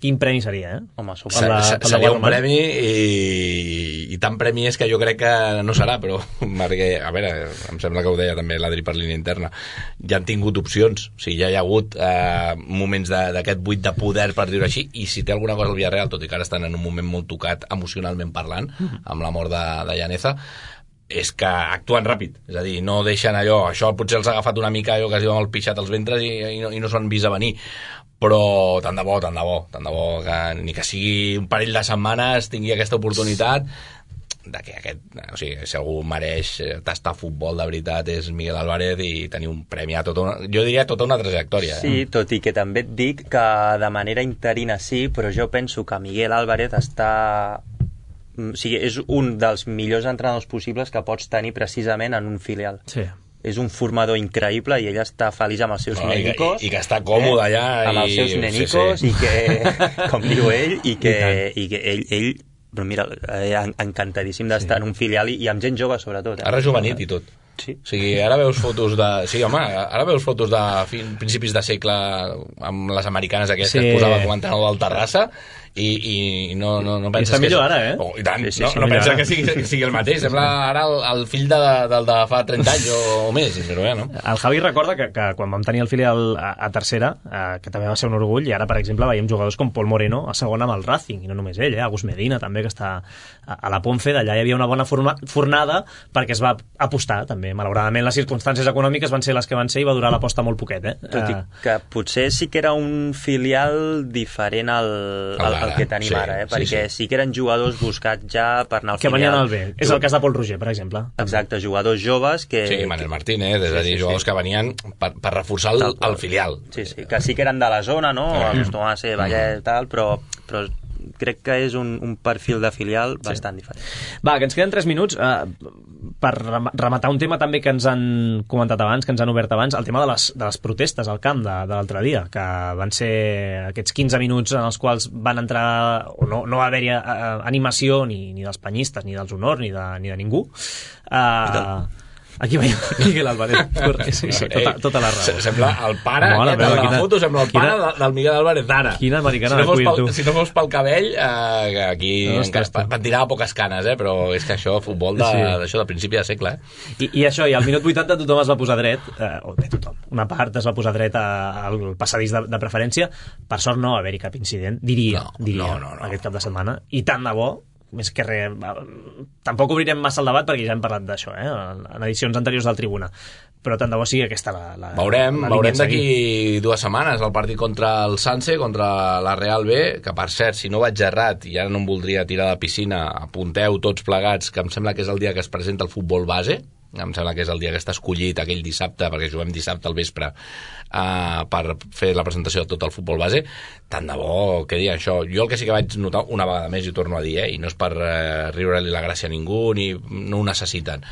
Quin premi seria, eh? Home, la, seria un premi i, i tant premi és que jo crec que no serà, però perquè, a veure, em sembla que ho deia també l'Adri per línia interna, ja han tingut opcions, o sigui, ja hi ha hagut eh, moments d'aquest buit de poder, per dir-ho així, i si té alguna cosa al Villarreal, tot i que ara estan en un moment molt tocat emocionalment parlant, amb la mort de, de Llaneza, és que actuen ràpid, és a dir, no deixen allò, això potser els ha agafat una mica allò que es diu amb el pixat als ventres i, i no, i no s'ho han vist a venir, però tant de bo, tant de bo, tant de bo que ni que sigui un parell de setmanes tingui aquesta oportunitat de que aquest, o sigui, si algú mereix tastar futbol de veritat és Miguel Álvarez i tenir un premi a tota una, jo diria tota una trajectòria. Sí, eh? tot i que també et dic que de manera interina sí, però jo penso que Miguel Álvarez està... O sigui, és un dels millors entrenadors possibles que pots tenir precisament en un filial. Sí. És un formador increïble i ell està feliç amb els seus no, nenicos. I, I que està còmode eh? allà. Amb i... els seus nenicos sí, sí. i que, com diu ell, i que, i que ell, ell però mira, eh, encantadíssim d'estar sí. en un filial i, i amb gent jove sobretot. Eh? Ha rejuvenit i tot. Sí. O sigui, ara veus fotos de... Sí, home, ara veus fotos de fin, principis de segle amb les americanes aquestes sí. que es posava com a entrenador del Terrassa i, i no, no, no penses I està que... millor ara, eh? Oh, I tant, sí, sí, no, sí, no pensa ara. que sigui, que sigui el mateix. Sembla ara el, el fill de, del de fa trenta anys o, o més, però bé, no? El Javi recorda que, que quan vam tenir el filial a, a tercera, eh, que també va ser un orgull, i ara, per exemple, veiem jugadors com Pol Moreno a segona amb el Racing, i no només ell, eh? Agus Medina també, que està a, a la Ponfe, d'allà hi havia una bona forma, fornada perquè es va apostar també. Malauradament les circumstàncies econòmiques van ser les que van ser i va durar l'aposta molt poquet, eh? Tot i que potser sí que era un filial diferent al, al, al que tenim sí, ara, eh? Perquè sí, sí. sí que eren jugadors buscats ja per anar al que filial. venien al B. És el cas de Pol Roger, per exemple. Exacte, jugadors joves que... Sí, Manel Martínez, és a dir, sí, sí, jugadors sí. que venien per, per reforçar el, el filial. Sí, sí, que sí que eren de la zona, no? Mm. Acostumaven a ser Vallet i tal, però, però crec que és un, un perfil de filial sí. bastant diferent. Va, que ens queden tres minuts eh, per rematar un tema també que ens han comentat abans, que ens han obert abans, el tema de les, de les protestes al camp de, de l'altre dia, que van ser aquests quinze minuts en els quals van entrar, o no, no va haver-hi eh, animació ni, ni dels penyistes, ni dels honors, ni de, ni de ningú. Eh... Aquí veiem Miguel Álvarez. Sí, sí, tota, tota la raó. Sembla el pare, Mola, eh, de la quina, foto sembla el pare quina, del Miguel Álvarez d'ara. Quina americana si no de cuir, tu. Si no fos pel cabell, eh, aquí no, van tirar poques canes, eh, però és que això, futbol de, sí. d'això de principi de segle. Eh? I, I això, i al minut vuitanta tothom es va posar dret, eh, o bé tothom, una part es va posar dret a, al passadís de, de preferència. Per sort no va haver-hi cap incident, diria, no, diria no, no, no. aquest cap de setmana. I tant de bo, més que res, tampoc obrirem massa el debat perquè ja hem parlat d'això, eh, en edicions anteriors del Tribuna, però tant de bo sigui aquesta la, la, veurem, la veurem d'aquí dues setmanes el partit contra el Sanse, contra la Real B, que per cert, si no vaig errat i ara no em voldria tirar de piscina, apunteu tots plegats que em sembla que és el dia que es presenta el futbol base em sembla que és el dia que està escollit, aquell dissabte, perquè juguem dissabte al vespre, uh, per fer la presentació de tot el futbol base, tant de bo que dir això. Jo el que sí que vaig notar una vegada més, i ho torno a dir, eh, i no és per uh, riure-li la gràcia a ningú, ni no ho necessiten,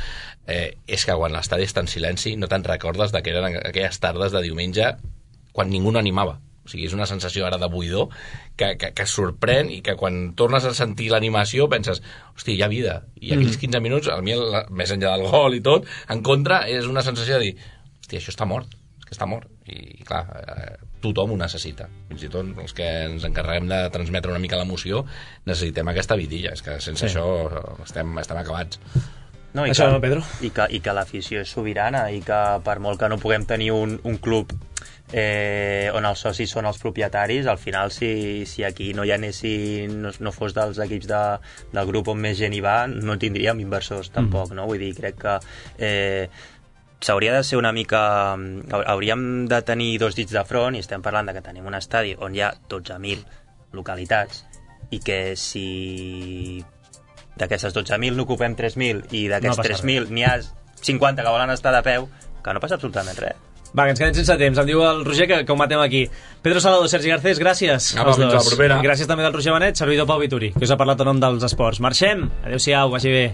eh, és que quan l'estadi està en silenci no te'n recordes de que eren aquelles tardes de diumenge quan ningú no animava. O sigui, és una sensació ara de buidor que, que, que sorprèn, i que quan tornes a sentir l'animació penses, hosti, hi ha vida. I aquells quinze minuts, a mi, el, més enllà del gol i tot, en contra, és una sensació de dir, hosti, això està mort, és que està mort. I clar, eh, tothom ho necessita. Fins i tot els que ens encarreguem de transmetre una mica l'emoció necessitem aquesta vidilla. És que sense sí. això estem, estem acabats. No, i això, que, Pedro? I que, i que l'afició és sobirana, i que per molt que no puguem tenir un, un club eh, on els socis són els propietaris, al final si, si aquí no hi anessin, no, no fos dels equips de, del grup on més gent hi va, no tindríem inversors tampoc, mm. no? Vull dir, crec que eh, s'hauria de ser una mica... hauríem de tenir dos dits de front, i estem parlant de que tenim un estadi on hi ha dotze mil localitats, i que si d'aquestes dotze mil n'ocupem tres mil i d'aquests no tres mil n'hi ha cinquanta que volen estar de peu, que no passa absolutament res. Va, que ens quedem sense temps. Em diu el Roger que, que ho matem aquí. Pedro Salado, Sergi Garcés, gràcies. Apa, fins la propera. Gràcies també del Roger Benet, servidor Pau Vituri, que us ha parlat en nom dels esports. Marxem. Adéu-siau, vagi bé.